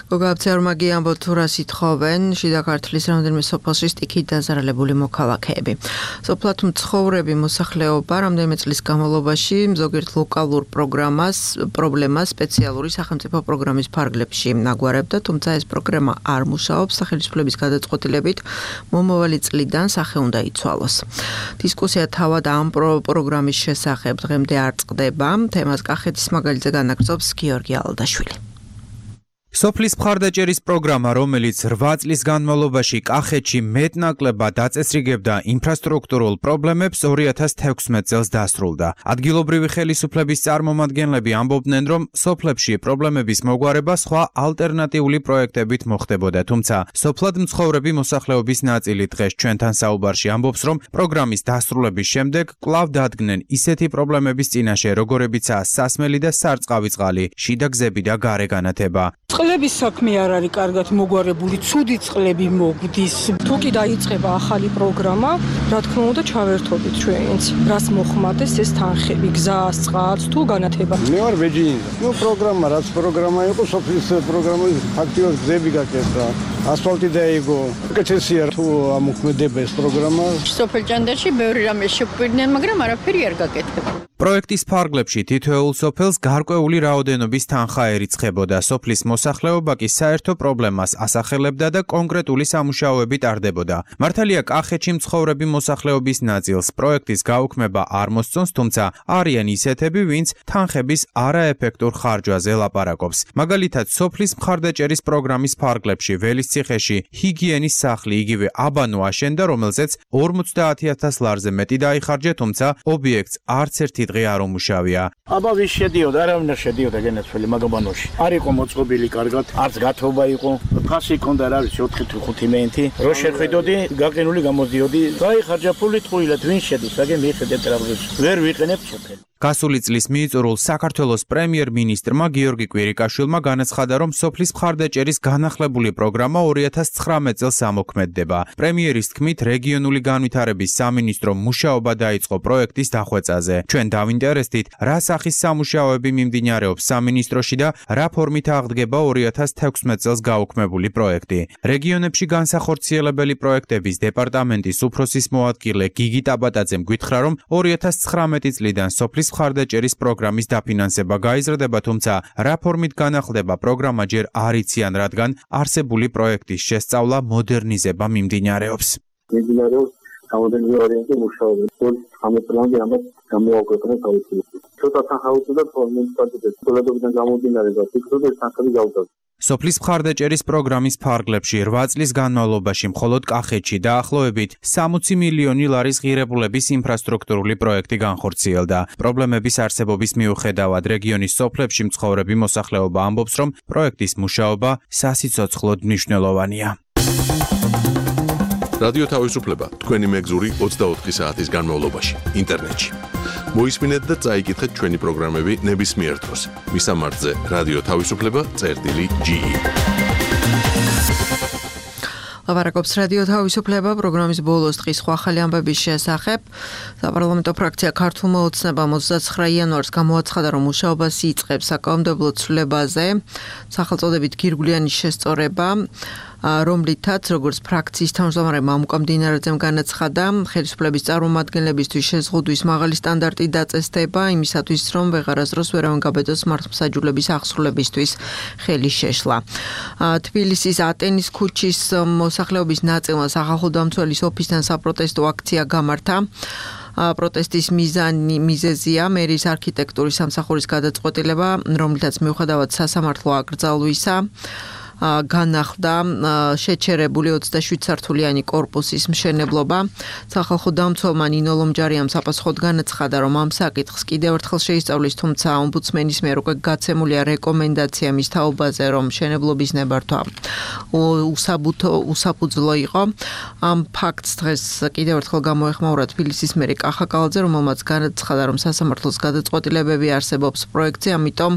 გოგაბცერმაგი ამბობ თუ რას ითხოვენ შიდა ქართლის რამდენიმე სოფელში სტიქით დაზარალებული მოქალაქეები. სოფლად მცხოვრები მოსახლეობა რამდენიმე წლის განმავლობაში ზოგიერთ ლოკალურ პრობლემას სპეციალური სახელმწიფო პროგრამის ფარგლებში აგვარებდა, თუმცა ეს პროგრამა არ მუშაობს სახელმწიფოების გადაწყვეტილებით მომავალი წლიდან სახე უნდა იცვალოს. დისკუსია თავად ამ პროგრამის შესახებ დღემდე არ წყდება. თემას კახეთის მაგალითზე განაგრძობს გიორგი ალდაშვილი. სოფლის მხარდაჭერის პროგრამა, რომელიც 8 წლის განმავლობაში კახეთში მეტნაკლებად დაწესრიგებდა ინფრასტრუქტურულ პრობლემებს, 2016 წელს დასრულდა. ადგილობრივი ხელისუფლების წარმომადგენლები ამბობდნენ, რომ სოფლებში პრობლემების მოგვარება სხვა ალტერნატიული პროექტებით მოხდებოდა, თუმცა სოფლად მცხოვრები მოსახლეობის ნაწილი დღეს ჩვენთან საუბარში ამბობს, რომ პროგრამის დასრულების შემდეგ კვლავ დადგნენ ისეთი პრობლემების წინაშე, როგორებიცაა სასმელი და სარწყავი წყალი, შიდა გზები და გარე განათება. წყლების საქმე არ არის კარგად მოგვარებული, ცუდი წყლები მოგდის. თუ კი დაიწყება ახალი პროგრამა, რა თქმა უნდა ჩავერთობით ჩვენც. რას მოხმარდეს ეს თანხები, გზას, წყალს თუ განათება. მე ვარ ბეჯინი. პროგრამა, რაც პროგრამა იყო, სოფლის პროგრამა, ფაქტიურად გზები გაკეთდა, ასფალტი დაიგო. კეთესია თუ ამოქმედება ეს პროგრამა. სოფელ ჭანდაში ბევრი რამე შეგვიდნენ, მაგრამ არაფერი არ გაკეთება. პროექტის ფარგლებში თითოეულ სოფელს გარკვეული რაოდენობის თანხა ერიცხებოდა. სოფლის მოსახლეობა კი საერთო პრობლემას ასახელებდა და კონკრეტული სამუშაოები ტარდებოდა. მართალია კახეთში მცხოვრები მოსახლეობის ნაწილს პროექტის გაუქმება არ მოსწონს, თუმცა არიან ისეთები, ვინც თანხების არაეფექტურ ხარჯვაზე ლაპარაკობს. მაგალითად, სოფლის მხარდაჭერის პროგრამის ფარგლებში ველისციხეში ჰიგიენის სახლი იგივე აბანო აშენდა, რომელზეც 50,000 ლარზე მეტი დაიხარჯა, თუმცა ობიექტს არც ერთი დღე არ უმუშავია. აბა ვის შედიოდა, არავინ არ შედიოდა გენაცვლილი მაგაბანოში. არ იყო მოწყობილი კარგად, არც გათობა იყო. ფასი ჰქონდა, რა ვიცი, 4-5 მენტი. რო შეხედოდი, გაყინული გამოდიოდი. გაიხარჯა ფული ტყუილად, ვინ შედის, აგე მიხედეთ ტრაბზოს. ვერ ვიყენებ ჩეფელი. გასული წლის მიიწვეულ საქართველოს პრემიერ-მინისტრმა გიორგი კვირიკაშვილმა განაცხადა, რომ სოფლის მხარდაჭერის განახლებული პროგრამა 2019 წელს ამოქმედდება. პრემიერის თქმით, რეგიონული განვითარების სამინისტრომ მუშაობა დაიწყო პროექტის დახვეწაზე. ჩვენ დავინტერესდით, რა სახის სამუშაოები მიმდინარეობს სამინისტროში და რა ფორმით აღდგება 2016 წელს გაუქმებული პროექტი. რეგიონებში განსახორციელებელი პროექტების დეპარტამენტის უფროსის მოადგილე გიგი ტაბატაძემ გითხრა, რომ 2019 წლიდან სოფლის მხარდაჭერის პროგრამის დაფინანსება გაიზრდება, თუმცა რა ფორმით განახლდება პროგრამა ჯერ არ იციან, რადგან არსებული პროექტის შესწავლა მოდერნიზება მიმდინარეობს. მიმდინარეობს გამოდენილი ვარიანტი მუშაობენ. 15 წლამდე ამას გამოაქვეყნა თავისუფლად. ცოტა თანხაუცდა და მუნიციპალიტეტის სოლიდობიდან გამომდინარე და ფიქრობდა ეს თანხები გავუწევს. სოფლის მხარდაჭერის პროგრამის ფარგლებში 8 წლის განმავლობაში მხოლოდ კახეთში დაახლოებით 60 მილიონი ლარის ღირებულების ინფრასტრუქტურული პროექტი განხორციელდა. პრობლემების არსებობის მიუხედავად რეგიონის სოფლებში მცხოვრები მოსახლეობა ამბობს, რომ პროექტის მუშაობა სასიცოცხლოდ მნიშვნელოვანია. რადიო თავისუფლება თქვენი მეგზური 24 საათის განმავლობაში ინტერნეტში. მოისმინეთ და წაიკითხეთ ჩვენი პროგრამები ნებისმიერ დროს. მისამართზე რადიო თავისუფლება.ge. ლაპარაკობს რადიო თავისუფლება პროგრამის ბოლოს დღის სხვა ახალი ამბების შესახებ. საპარლამენტო ფრაქცია ქართულმა ოცნებამ 29 იანვარს გამოაცხადა, რომ მუშაობას იწყებს საკანონმდებლო ცვლილებაზე, სახელწოდებით გირგვლიანი შესწორება. რომლითაც როგორც ფრაქციის თავმჯდომარემ ამუკამდინარაძემ განაცხადა, ხელისუფლების წარმომადგენლებისთვის შეზღუდვის მაღალი სტანდარტი დაწესდება იმისათვის, რომ ვეღარასდროს ვერავინ გაბედოს მართლმსაჯულების აღსრულებისთვის ხელი შეშლა. თბილისის ატენის ქუჩის მოსახლეობის ნაწილმა სახალხო დამცველის ოფისთან საპროტესტო აქცია გამართა. პროტესტის მიზეზია მერის არქიტექტურის სამსახურის გადაწყვეტილება, რომლითაც მიუხედავად სასამართლო აკრძალვისა განახლდა შეჩერებული 27 სართულიანი კორპუსის მშენებლობა. სახალხო დამცველმა ნინო ლომჯარიამ საპასუხოდ განაცხადა, რომ ამ საკითხს კიდევ ერთხელ შეისწავლის, თუმცა ომბუდსმენის მიერ უკვე გაცემულია რეკომენდაცია მის თაობაზე, რომ მშენებლობის ნებართვა უსაფუძვლო იყო. ამ ფაქტს დღეს კიდევ ერთხელ გამოეხმაურა თბილისის მერი კახა კალაძე, რომელმაც განაცხადა, რომ სასამართლოს გადაწყვეტილებები არსებობს პროექტზე, ამიტომ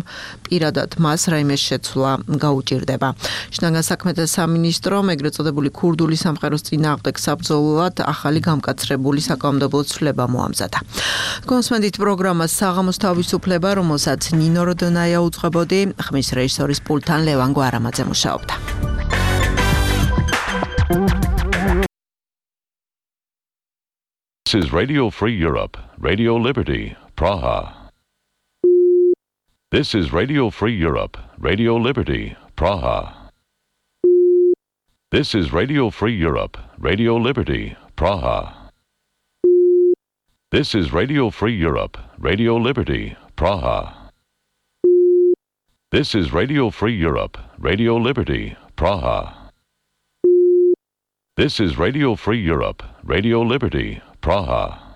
პირადად მას რაიმე შეცვლა გაუჭირდება. შინაგან საქმეთა სამინისტრო ეგრეთ წოდებული ქურდული სამყაროს წინააღმდეგ საბრძოლოდ ახალი გამკაცრებული საკანონმდებლო ცვლილება მოამზადა. კონსმენდით პროგრამას საღამოს თავისუფლება, რომელსაც ნინო როდონაია უძღვებოდი, ხმის რეჟისორის პულტთან ლევან გვარამაძე მუშაობდა. This is Radio Free Europe, Radio Liberty, Praha. This is Radio Free Europe, Radio Liberty, Praha. This is Radio Free Europe, Radio Liberty, Praha. This is Radio Free Europe, Radio Liberty, Praha. This is Radio Free Europe, Radio Liberty, Praha. This is Radio Free Europe, Radio Liberty, Praha.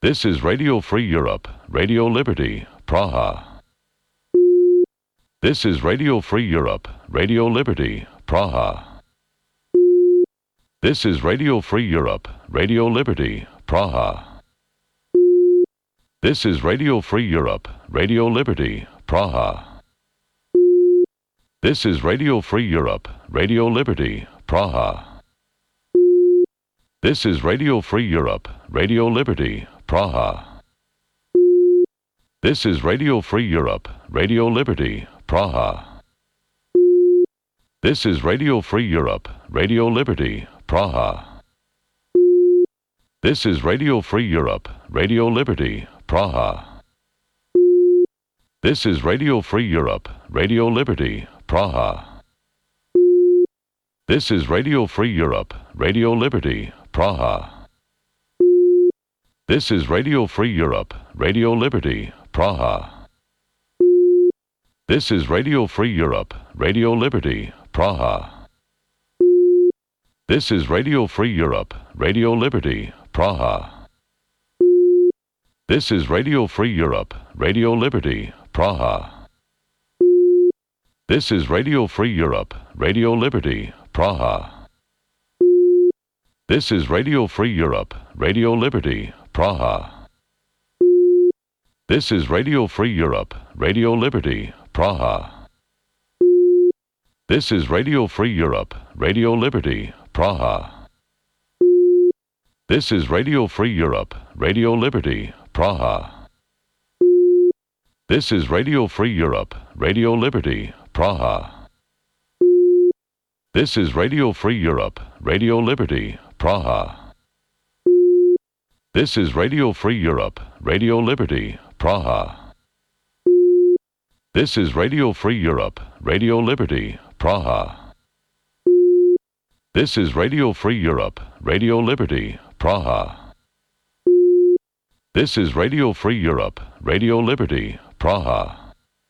This is Radio Free Europe, Radio Liberty, Praha. This is Radio Free Europe, Radio Liberty, Praha. This is Radio Free Europe, Radio Liberty, Praha. This is Radio Free Europe, Radio Liberty, Praha. This is Radio Free Europe, Radio Liberty, Praha. This is Radio Free Europe, Radio Liberty, Praha. This is Radio Free Europe, Radio Liberty, Praha. This is Radio Free Europe, Radio Liberty, Praha. This is Radio Free Europe, Radio Liberty, Praha. This is Radio Free Europe, Radio Liberty, Praha. This is Radio Free Europe, Radio Liberty, Praha. This is Radio Free Europe, Radio Liberty, Praha. This is Radio Free Europe, Radio Liberty, Praha. This is Radio Free Europe, Radio Liberty, Praha. This is Radio Free Europe, Radio Liberty, Praha. This is Radio Free Europe, Radio Liberty, Praha. This is Radio Free Europe, Radio Liberty, Praha. This is Radio Free Europe, Radio Liberty, Praha. This is Radio Free Europe, Radio Liberty, Praha. This is Radio Free Europe, Radio Liberty, Praha. This is Radio Free Europe, Radio Liberty, Praha. This is Radio Free Europe, Radio Liberty, Praha. This is Radio Free Europe, Radio Liberty, Praha. This is Radio Free Europe, Radio Liberty, Praha. This is Radio Free Europe, Radio Liberty, Praha. This is Radio Free Europe, Radio Liberty, Praha.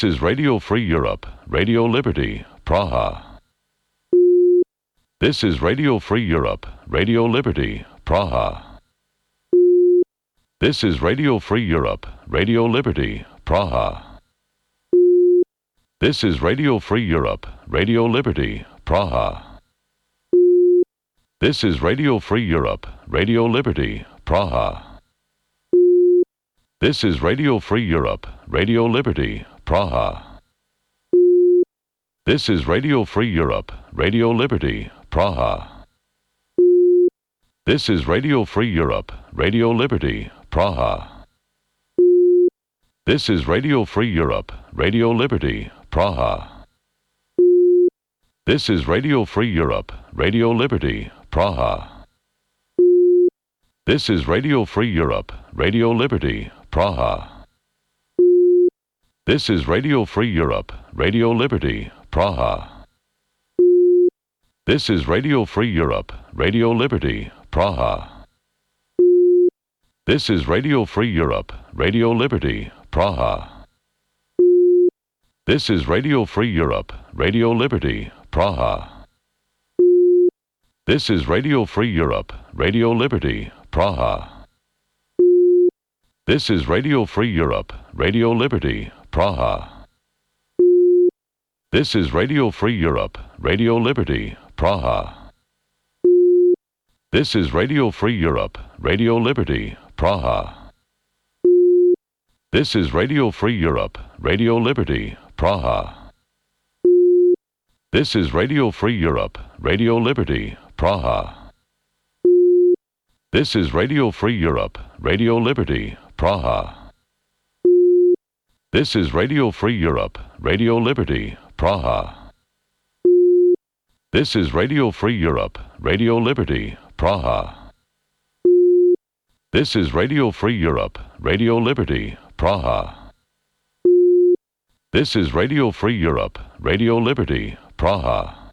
This is Radio Free Europe, Radio Liberty, Praha. This is Radio Free Europe, Radio Liberty, Praha. This is Radio Free Europe, Radio Liberty, Praha. This is Radio Free Europe, Radio Liberty, Praha. This is Radio Free Europe, Radio Liberty, Praha. This is Radio Free Europe, Radio Liberty, Praha. This is Radio Free Europe, Radio Liberty, Praha. This is Radio Free Europe, Radio Liberty, Praha. This is Radio Free Europe, Radio Liberty, Praha. This is Radio Free Europe, Radio Liberty, Praha. This is Radio Free Europe, Radio Liberty, Praha. This is Radio Free Europe, Radio Liberty, Praha. This is Radio Free Europe, Radio Liberty, Praha. This is Radio Free Europe, Radio Liberty, Praha. This is Radio Free Europe, Radio Liberty, Praha. This is Radio Free Europe, Radio Liberty, Praha. This is Radio Free Europe, Radio Liberty, Praha. This is Radio Free Europe, Radio Liberty, Praha. This is Radio Free Europe, Radio Liberty, Praha. This is Radio Free Europe, Radio Liberty, Praha. This is Radio Free Europe, Radio Liberty, Praha. This is Radio Free Europe, Radio Liberty, Praha. This is Radio Free Europe, Radio Liberty, Praha. This is Radio Free Europe, Radio Liberty, Praha. This is Radio Free Europe, Radio Liberty, Praha. This is Radio Free Europe, Radio Liberty, Praha.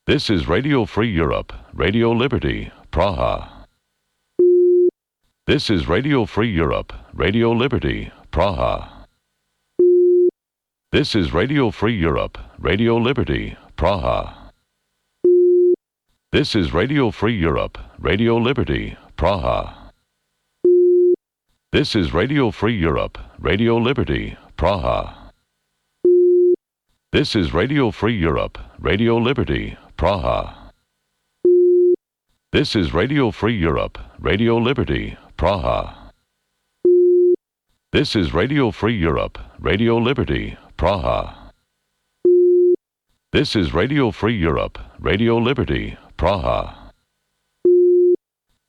This is Radio Free Europe, Radio Liberty, Praha. This is Radio Free Europe, Radio Liberty, Praha. This is Radio Free Europe, Radio Liberty, Praha. This is Radio Free Europe, Radio Liberty, Praha. This is Radio Free Europe, Radio Liberty, Praha. This is Radio Free Europe, Radio Liberty, Praha. This is Radio Free Europe, Radio Liberty, Praha. This is Radio Free Europe, Radio Liberty, Praha. This is Radio Free Europe, Radio Liberty, Praha.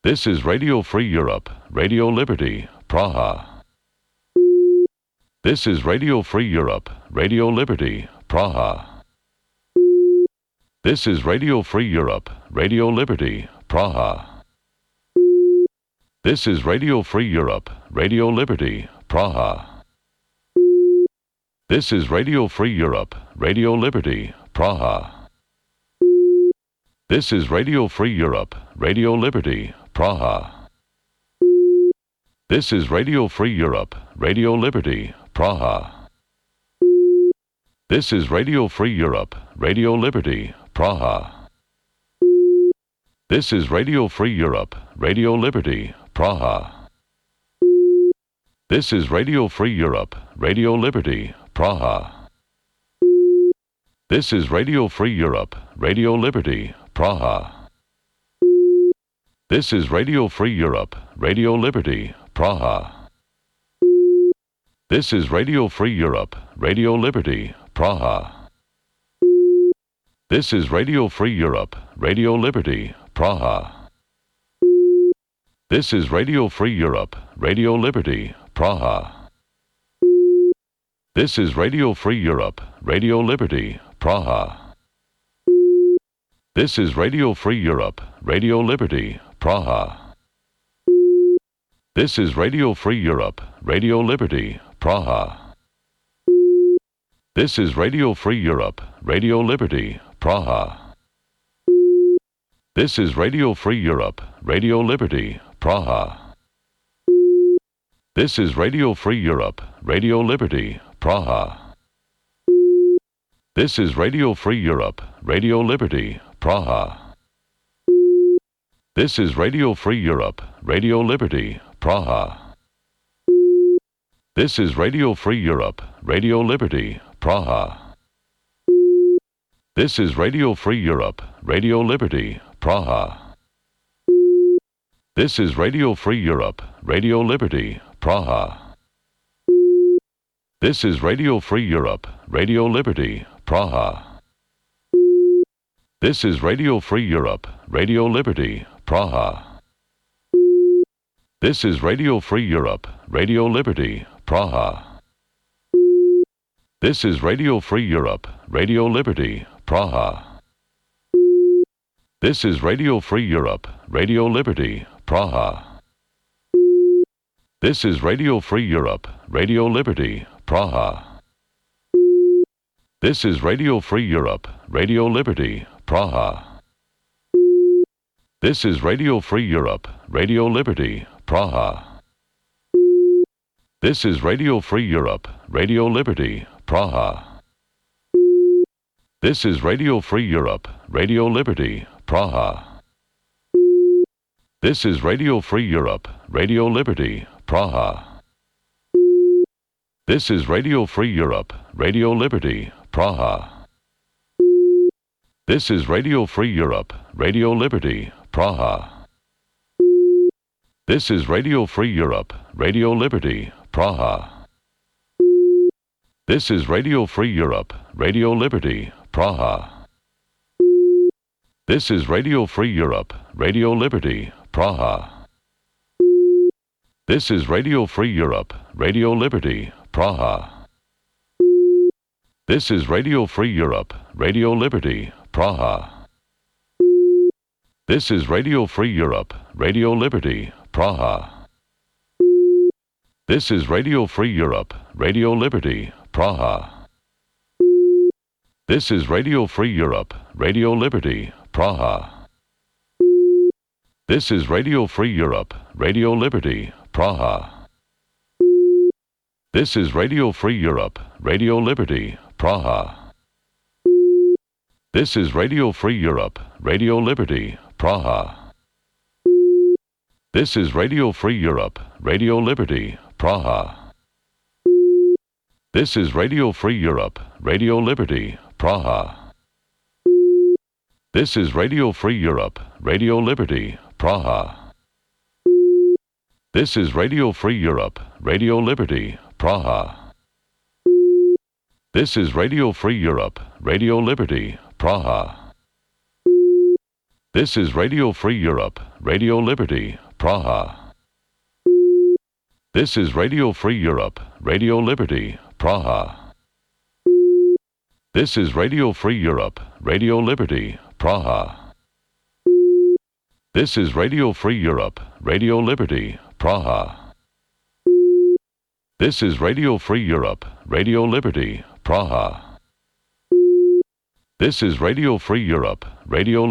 This is Radio Free Europe, Radio Liberty, Praha. This is Radio Free Europe, Radio Liberty, Praha. This is Radio Free Europe, Radio Liberty, Praha. This is Radio Free Europe, Radio Liberty, Praha. This is Radio Free Europe, Radio Liberty, Praha. This is Radio Free Europe, Radio Liberty, Praha. This is Radio Free Europe, Radio Liberty, Praha. This is Radio Free Europe, Radio Liberty, Praha. This is Radio Free Europe, Radio Liberty, Praha. This is Radio Free Europe, Radio Liberty, Praha. This is Radio Free Europe, Radio Liberty, Praha. This is Radio Free Europe, Radio Liberty, Praha. This is Radio Free Europe, Radio Liberty, Praha. This is Radio Free Europe, Radio Liberty, Praha. This is Radio Free Europe, Radio Liberty, Praha. This is Radio Free Europe, Radio Liberty, Praha. This is Radio Free Europe, Radio Liberty, Praha. This is Radio Free Europe, Radio Liberty, Praha. This is Radio Free Europe, Radio Liberty, Praha. This is Radio Free Europe, Radio Liberty, Praha. This is Radio Free Europe, Radio Liberty, Praha. This is Radio Free Europe, Radio Liberty, Praha. This is Radio Free Europe, Radio Liberty, Praha. This is Radio Free Europe, Radio Liberty, Praha. This is Radio Free Europe, Radio Liberty, Praha. This is Radio Free Europe, Radio Liberty, Praha. This is Radio Free Europe, Radio Liberty, Praha. This is Radio Free Europe, Radio Liberty, Praha. This is Radio Free Europe, Radio Liberty, Praha. This is Radio Free Europe, Radio Liberty, Praha. This is Radio Free Europe, Radio Liberty, Praha. This is Radio Free Europe, Radio Liberty, Praha. This is Radio Free Europe, Radio Liberty, Praha. This is Radio Free Europe, Radio Liberty, Praha. This is Radio Free Europe, Radio Liberty, Praha. This is Radio Free Europe, Radio Liberty, Praha. This is Radio Free Europe, Radio Liberty, Praha. This is Radio Free Europe, Radio Liberty, Praha. This is Radio Free Europe, Radio Liberty, Praha. This is Radio Free Europe, Radio Liberty, Praha. This is Radio Free Europe, Radio Liberty, Praha. This is Radio Free Europe, Radio Liberty, Praha. This is Radio Free Europe, Radio Liberty, Praha. This is Radio Free Europe, Radio Liberty, Praha. This is Radio Free Europe, Radio Liberty, Praha. This is Radio Free Europe, Radio Liberty, Praha. This is Radio Free Europe, Radio Liberty, Praha. This is Radio Free Europe, Radio Liberty, Praha. This is Radio Free Europe, Radio Liberty, Praha. This is Radio Free Europe, Radio Liberty, Praha. This is Radio Free Europe, Radio Liberty, Praha. This is Radio Free Europe, Radio Liberty, Praha. This is Radio Free Europe, Radio Liberty, Praha. This is Radio Free Europe, Radio Liberty, Praha. This is Radio Free Europe, Radio Liberty, Praha. This is Radio Free Europe, Radio Liberty, Praha. This is Radio Free Europe, Radio Liberty, Praha. This is Radio Free Europe, Radio Liberty, Praha. This is Radio Free Europe, Radio Liberty, Praha. This is Radio Free Europe, Radio Liberty, Praha. This is Radio Free Europe, Radio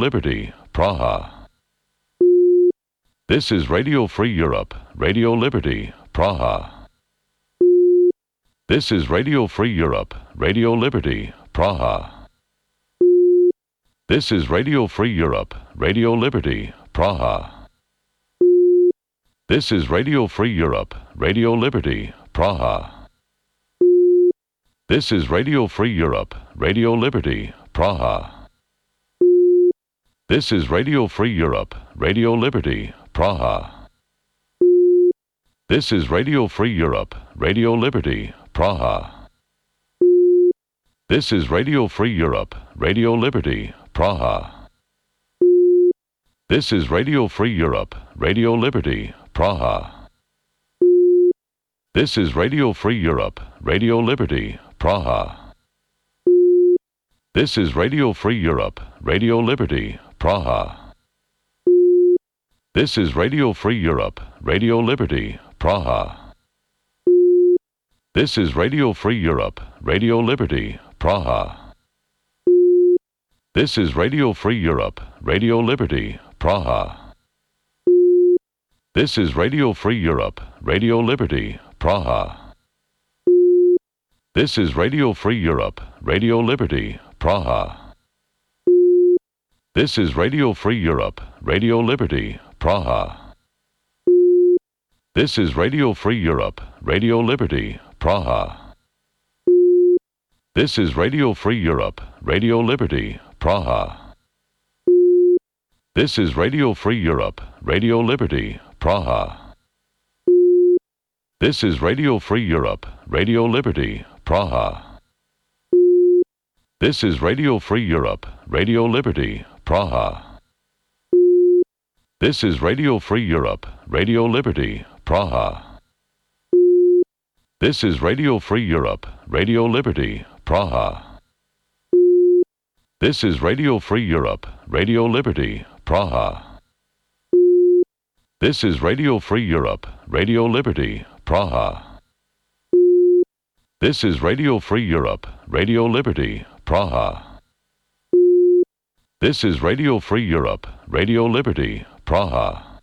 Liberty, Praha. This is Radio Free Europe, Radio Liberty, Praha. This is Radio Free Europe, Radio Liberty, Praha. This is Radio Free Europe, Radio Liberty, Praha. This is Radio Free Europe, Radio Liberty, Praha. This is Radio Free Europe, Radio Liberty, Praha. This is Radio Free Europe, Radio Liberty, Praha. This is Radio Free Europe, Radio Liberty, Praha. This is Radio Free Europe, Radio Liberty, Praha. This is Radio Free Europe, Radio Liberty, Praha. This is Radio Free Europe, Radio Liberty, Praha. This is Radio Free Europe, Radio Liberty, Praha. This is Radio Free Europe, Radio Liberty, Praha. This is Radio Free Europe, Radio Liberty, Praha. This is Radio Free Europe, Radio Liberty, Praha. This is Radio Free Europe, Radio Liberty, Praha. This is Radio Free Europe, Radio Liberty, Praha. This is Radio Free Europe, Radio Liberty, Praha. This is Radio Free Europe, Radio Liberty, Praha. This is Radio Free Europe, Radio Liberty, Praha. This is Radio Free Europe, Radio Liberty, Praha. This is Radio Free Europe, Radio Liberty, Praha. This is Radio Free Europe, Radio Liberty, Praha. This is Radio Free Europe, Radio Liberty, Praha. This is Radio Free Europe, Radio Liberty, Praha. This is Radio Free Europe, Radio Liberty, Praha. This is Radio Free Europe, Radio Liberty, Praha. This is Radio Free Europe, Radio Liberty, Praha. This is Radio Free Europe, Radio Liberty, Praha.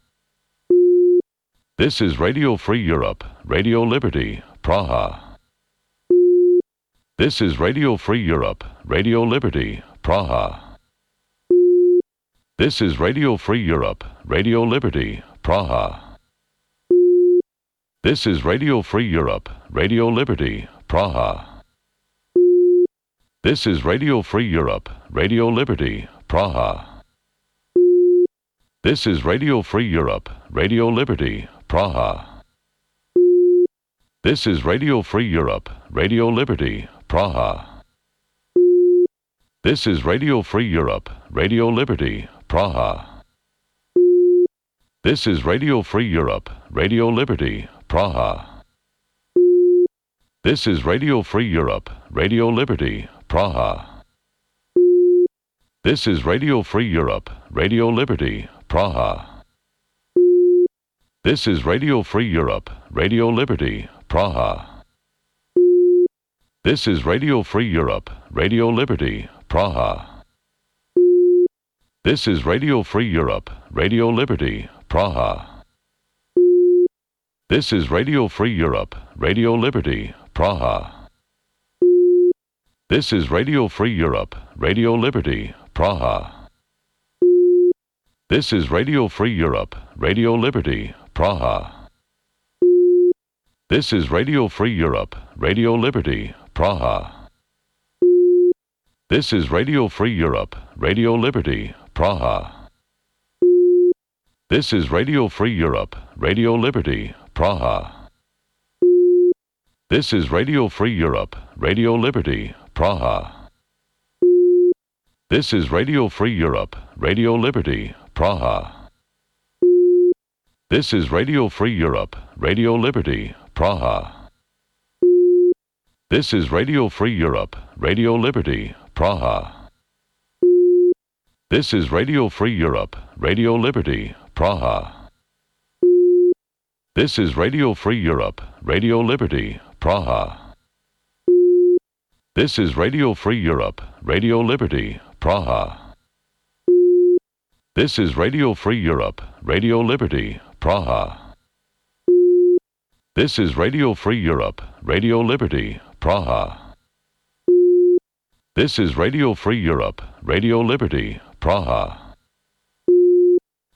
This is Radio Free Europe, Radio Liberty, Praha. This is Radio Free Europe, Radio Liberty, Praha. This is Radio Free Europe, Radio Liberty, Praha. This is Radio Free Europe, Radio Liberty, Praha. This is Radio Free Europe, Radio Liberty, Praha. This is Radio Free Europe, Radio Liberty, Praha. This is Radio Free Europe, Radio Liberty, Praha. This is Radio Free Europe, Radio Liberty, Praha. This is Radio Free Europe, Radio Liberty, Praha. This is Radio Free Europe, Radio Liberty, Praha. This is Radio Free Europe, Radio Liberty, Praha. This is Radio Free Europe, Radio Liberty, Praha. This is Radio Free Europe, Radio Liberty, Praha. This is Radio Free Europe, Radio Liberty, Praha. This is Radio Free Europe, Radio Liberty, Praha. This is Radio Free Europe, Radio Liberty, Praha. This is Radio Free Europe, Radio Liberty, Praha. This is Radio Free Europe, Radio Liberty, Praha. This is Radio Free Europe, Radio Liberty, Praha. This is Radio Free Europe, Radio Liberty, Praha. This is Radio Free Europe, Radio Liberty, Praha. This is Radio Free Europe, Radio Liberty, Praha. This is Radio Free Europe, Radio Liberty, Praha. This is Radio Free Europe, Radio Liberty, Praha. This is Radio Free Europe, Radio Liberty, Praha. This is Radio Free Europe, Radio Liberty, Praha. This is Radio Free Europe, Radio Liberty, Praha. This is Radio Free Europe, Radio Liberty, Praha. This is Radio Free Europe, Radio Liberty, Praha. This is Radio Free Europe, Radio Liberty, Praha.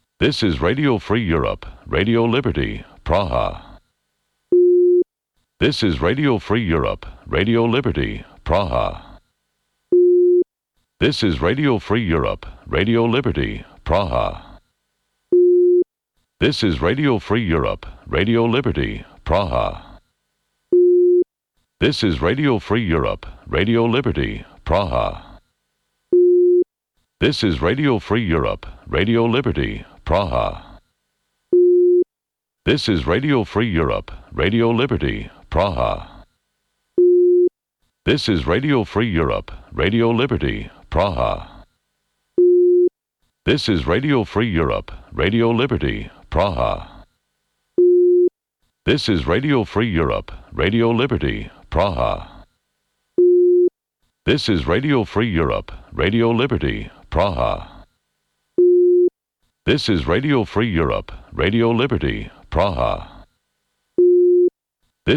This is Radio Free Europe, Radio Liberty, Praha. This is Radio Free Europe, Radio Liberty, Praha. This is Radio Free Europe, Radio Liberty, Praha. This is Radio Free Europe, Radio Liberty, Praha. This is Radio Free Europe, Radio Liberty, Praha. This is Radio Free Europe, Radio Liberty, Praha. This is Radio Free Europe, Radio Liberty, Praha. This is Radio Free Europe, Radio Liberty, Praha. This is Radio Free Europe, Radio Liberty, Praha. This is Radio Free Europe, Radio Liberty, Praha. This is Radio Free Europe, Radio Liberty, Praha. This is Radio Free Europe, Radio Liberty, Praha.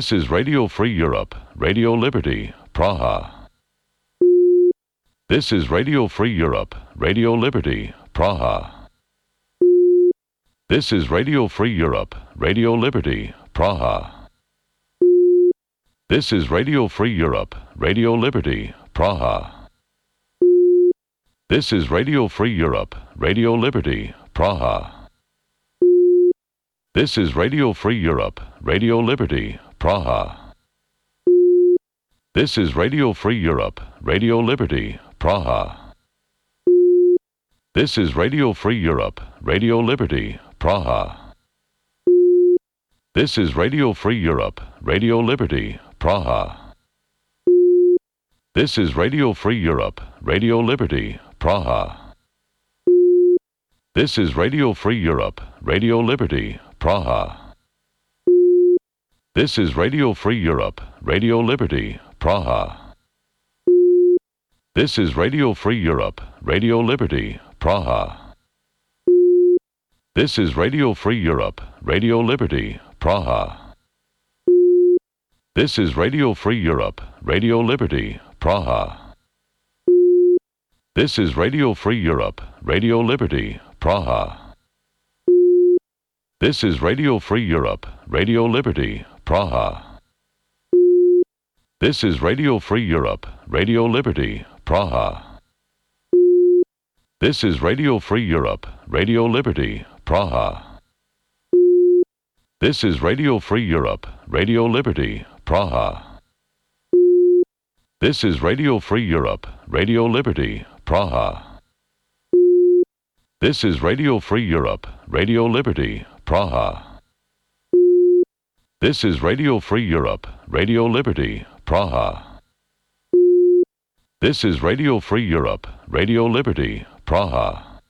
This is Radio Free Europe, Radio Liberty, Praha. This is Radio Free Europe, Radio Liberty, Praha. This is Radio Free Europe, Radio Liberty, Praha. This is Radio Free Europe, Radio Liberty, Praha. This is Radio Free Europe, Radio Liberty, Praha. This is Radio Free Europe, Radio Liberty, Praha. This is Radio Free Europe, Radio Liberty, Praha. This is Radio Free Europe, Radio Liberty, Praha. This is Radio Free Europe, Radio Liberty, Praha. This is Radio Free Europe, Radio Liberty, Praha. This is Radio Free Europe, Radio Liberty, Praha. This is Radio Free Europe, Radio Liberty, Praha. This is Radio Free Europe, Radio Liberty, Praha. This is Radio Free Europe, Radio Liberty, Praha. This is Radio Free Europe, Radio Liberty, Praha. This is Radio Free Europe, Radio Liberty, Praha. This is Radio Free Europe, Radio Liberty, Praha. This is Radio Free Europe, Radio Liberty, Praha. This is Radio Free Europe, Radio Liberty, Praha. This is Radio Free Europe, Radio Liberty, Praha. This is Radio Free Europe, Radio Liberty, Praha. This is Radio Free Europe, Radio Liberty, Praha. This is Radio Free Europe, Radio Liberty, Praha. This is Radio Free Europe, Radio Liberty, Praha.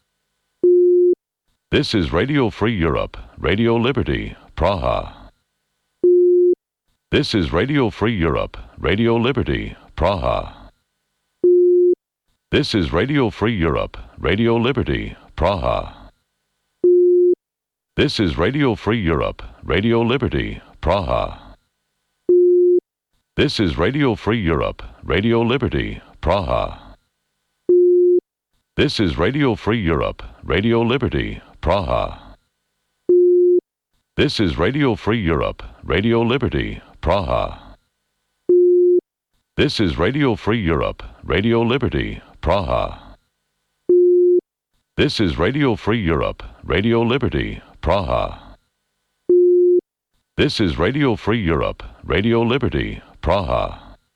This is Radio Free Europe, Radio Liberty, Praha. This is Radio Free Europe, Radio Liberty, Praha. This is Radio Free Europe, Radio Liberty, Praha. This is Radio Free Europe, Radio Liberty, Praha. This is Radio Free Europe, Radio Liberty, Praha. This is Radio Free Europe, Radio Liberty, Praha. This is Radio Free Europe, Radio Liberty, Praha. This is Radio Free Europe, Radio Liberty, Praha. This is Radio Free Europe, Radio Liberty, Praha. This is Radio Free Europe, Radio Liberty, Praha.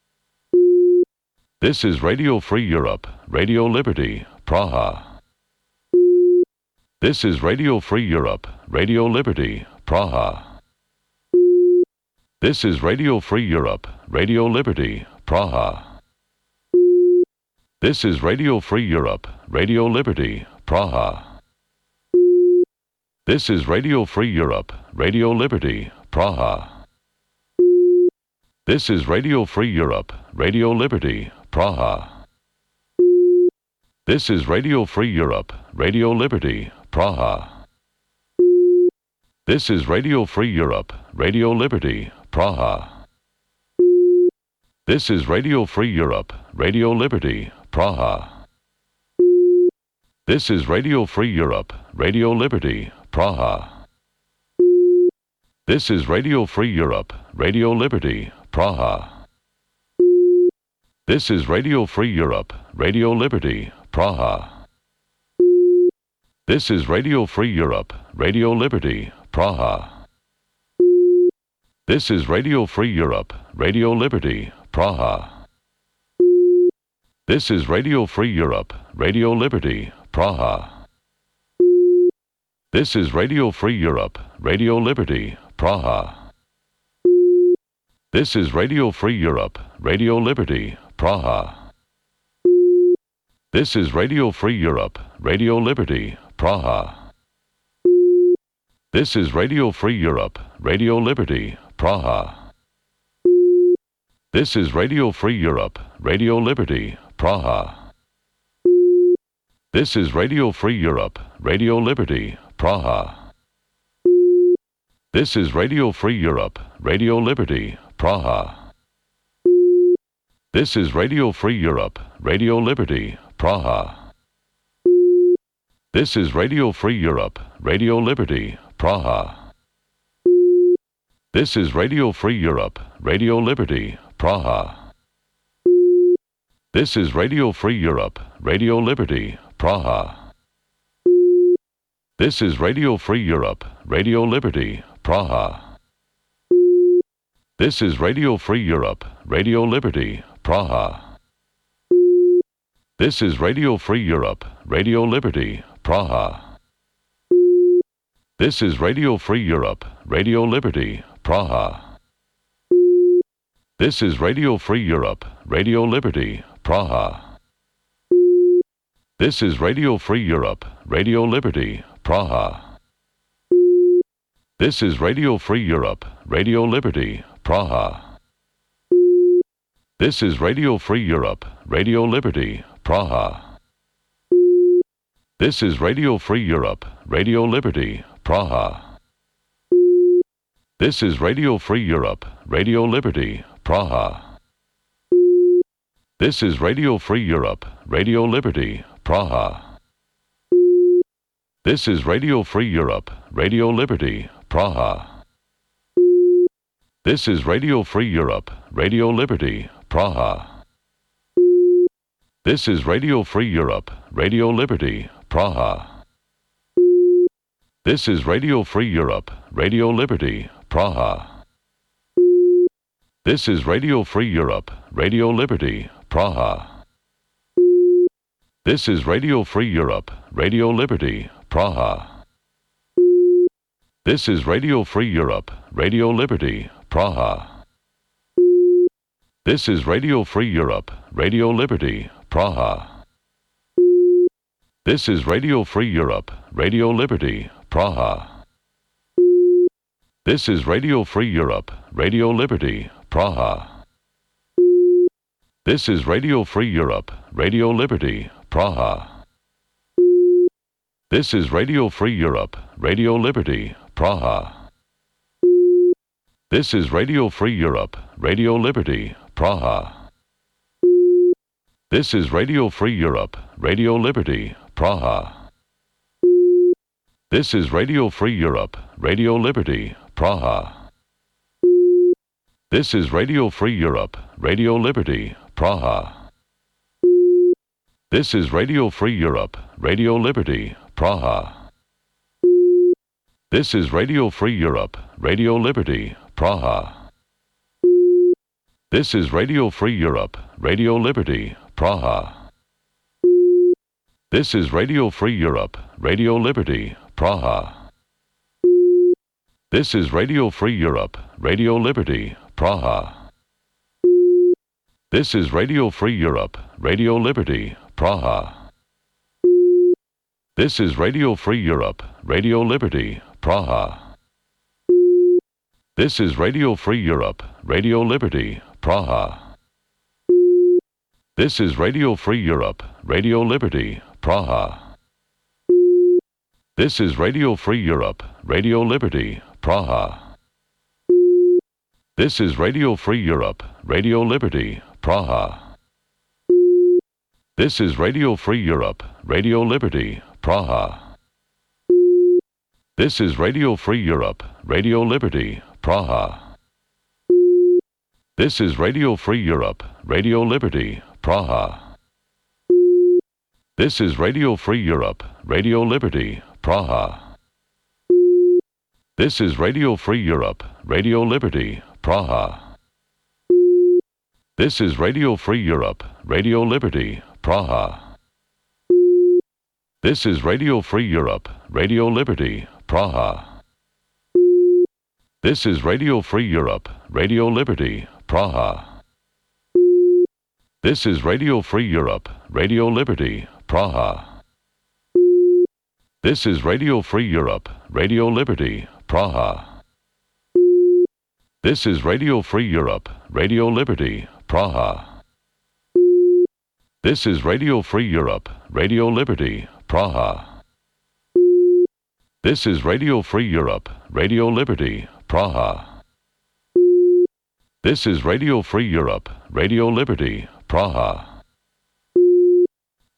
This is Radio Free Europe, Radio Liberty, Praha. This is Radio Free Europe, Radio Liberty, Praha. This is Radio Free Europe, Radio Liberty, Praha. This is Radio Free Europe, Radio Liberty, Praha. This is Radio Free Europe, Radio Liberty, Praha. This is Radio Free Europe, Radio Liberty, Praha. This is Radio Free Europe, Radio Liberty, Praha. This is Radio Free Europe, Radio Liberty, Praha. This is Radio Free Europe, Radio Liberty, Praha. This is Radio Free Europe, Radio Liberty, Praha. This is Radio Free Europe, Radio Liberty, Praha. This is Radio Free Europe, Radio Liberty, Praha. This is Radio Free Europe, Radio Liberty, Praha. This is Radio Free Europe, Radio Liberty, Praha. This is Radio Free Europe, Radio Liberty, Praha. This is Radio Free Europe, Radio Liberty, Praha. This is Radio Free Europe, Radio Liberty, Praha. This is Radio Free Europe, Radio Liberty, Praha. This is Radio Free Europe, Radio Liberty, Praha. This is Radio Free Europe, Radio Liberty, Praha. This is Radio Free Europe, Radio Liberty, Praha. This is Radio Free Europe, Radio Liberty, Praha. This is Radio Free Europe, Radio Liberty, Praha. This is Radio Free Europe, Radio Liberty, Praha. This is Radio Free Europe, Radio Liberty, Praha. This is Radio Free Europe, Radio Liberty, Praha. This is Radio Free Europe, Radio Liberty, Praha. This is Radio Free Europe, Radio Liberty, Praha. This is Radio Free Europe, Radio Liberty, Praha. This is Radio Free Europe, Radio Liberty, Praha. This is Radio Free Europe, Radio Liberty, Praha. This is Radio Free Europe, Radio Liberty, Praha. This is Radio Free Europe, Radio Liberty, Praha. This is Radio Free Europe, Radio Liberty, Praha. This is Radio Free Europe, Radio Liberty, Praha. This is Radio Free Europe, Radio Liberty, Praha. This is Radio Free Europe, Radio Liberty, Praha. This is Radio Free Europe, Radio Liberty, Praha. This is Radio Free Europe, Radio Liberty, Praha. This is Radio Free Europe, Radio Liberty, Praha. This is Radio Free Europe, Radio Liberty, Praha. This is Radio Free Europe, Radio Liberty, Praha. This is Radio Free Europe, Radio Liberty, Praha. This is Radio Free Europe, Radio Liberty, Praha. This is Radio Free Europe, Radio Liberty, Praha. This is Radio Free Europe, Radio Liberty, Praha. This is Radio Free Europe, Radio Liberty, Praha. This is Radio Free Europe, Radio Liberty, Praha. This is Radio Free Europe, Radio Liberty, Praha. This is Radio Free Europe, Radio Liberty, Praha. This is Radio Free Europe, Radio Liberty, Praha. This is Radio Free Europe, Radio Liberty, Praha. This is Radio Free Europe, Radio Liberty, Praha. This is Radio Free Europe, Radio Liberty, Praha. This is Radio Free Europe, Radio Liberty, Praha. This is Radio Free Europe, Radio Liberty, Praha. This is Radio Free Europe, Radio Liberty, Praha. This is Radio Free Europe, Radio Liberty, Praha. This is Radio Free Europe, Radio Liberty, Praha. This is Radio Free Europe, Radio Liberty, Praha. This is Radio Free Europe, Radio Liberty, Praha. This is Radio Free Europe, Radio Liberty, Praha. This is Radio Free Europe, Radio Liberty, Praha. This is Radio Free Europe, Radio Liberty, Praha. This is Radio Free Europe, Radio Liberty, Praha. This is Radio Free Europe, Radio Liberty, Praha. This is Radio Free Europe, Radio Liberty, Praha. This is Radio Free Europe, Radio Liberty, Praha. This is Radio Free Europe, Radio Liberty, Praha. This is Radio Free Europe, Radio Liberty, Praha. This is Radio Free Europe, Radio Liberty, Praha. This is Radio Free Europe, Radio Liberty, Praha. This is Radio Free Europe, Radio Liberty, Praha. This is Radio Free Europe, Radio Liberty, Praha. This is Radio Free Europe, Radio Liberty, Praha. This is Radio Free Europe, Radio Liberty, Praha. This is Radio Free Europe, Radio Liberty, Praha. This is Radio Free Europe, Radio Liberty, Praha.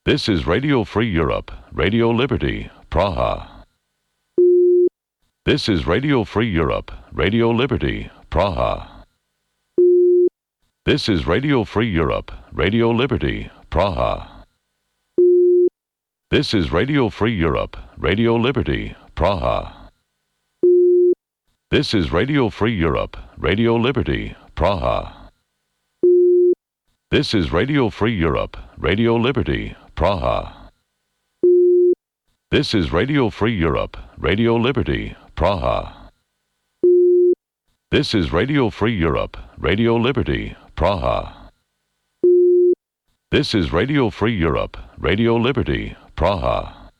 This is Radio Free Europe, Radio Liberty, Praha. This is Radio Free Europe, Radio Liberty, Praha. This is Radio Free Europe, Radio Liberty, Praha. This is Radio Free Europe, Radio Liberty, Praha. This is Radio Free Europe, Radio Liberty, Praha. This is Radio Free Europe, Radio Liberty, Praha. This is Radio Free Europe, Radio Liberty, Praha. This is Radio Free Europe, Radio Liberty, Praha. This is Radio Free Europe, Radio Liberty, Praha.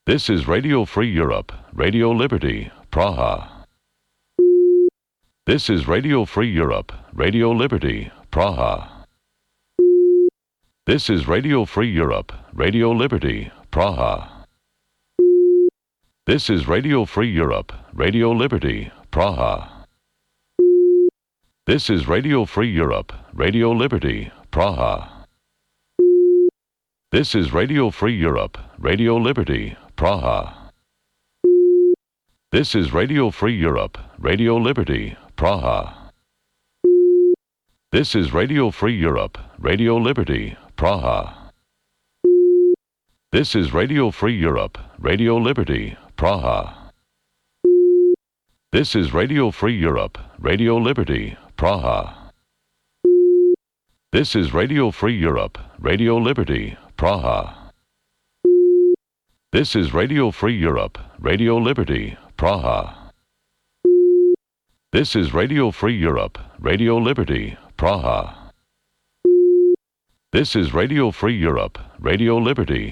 This is Radio Free Europe, Radio Liberty, Praha. This is Radio Free Europe, Radio Liberty, Praha. This is Radio Free Europe, Radio Liberty, Praha. This is Radio Free Europe, Radio Liberty, Praha. This is Radio Free Europe, Radio Liberty, Praha. This is Radio Free Europe, Radio Liberty, Praha. This is Radio Free Europe, Radio Liberty, Praha. This is Radio Free Europe, Radio Liberty, Praha. This is Radio Free Europe, Radio Liberty, Praha. This is Radio Free Europe, Radio Liberty, Praha. This is Radio Free Europe, Radio Liberty, Praha. This is Radio Free Europe, Radio Liberty, Praha. This is Radio Free Europe, Radio Liberty, Praha. This is Radio Free Europe, Radio Liberty,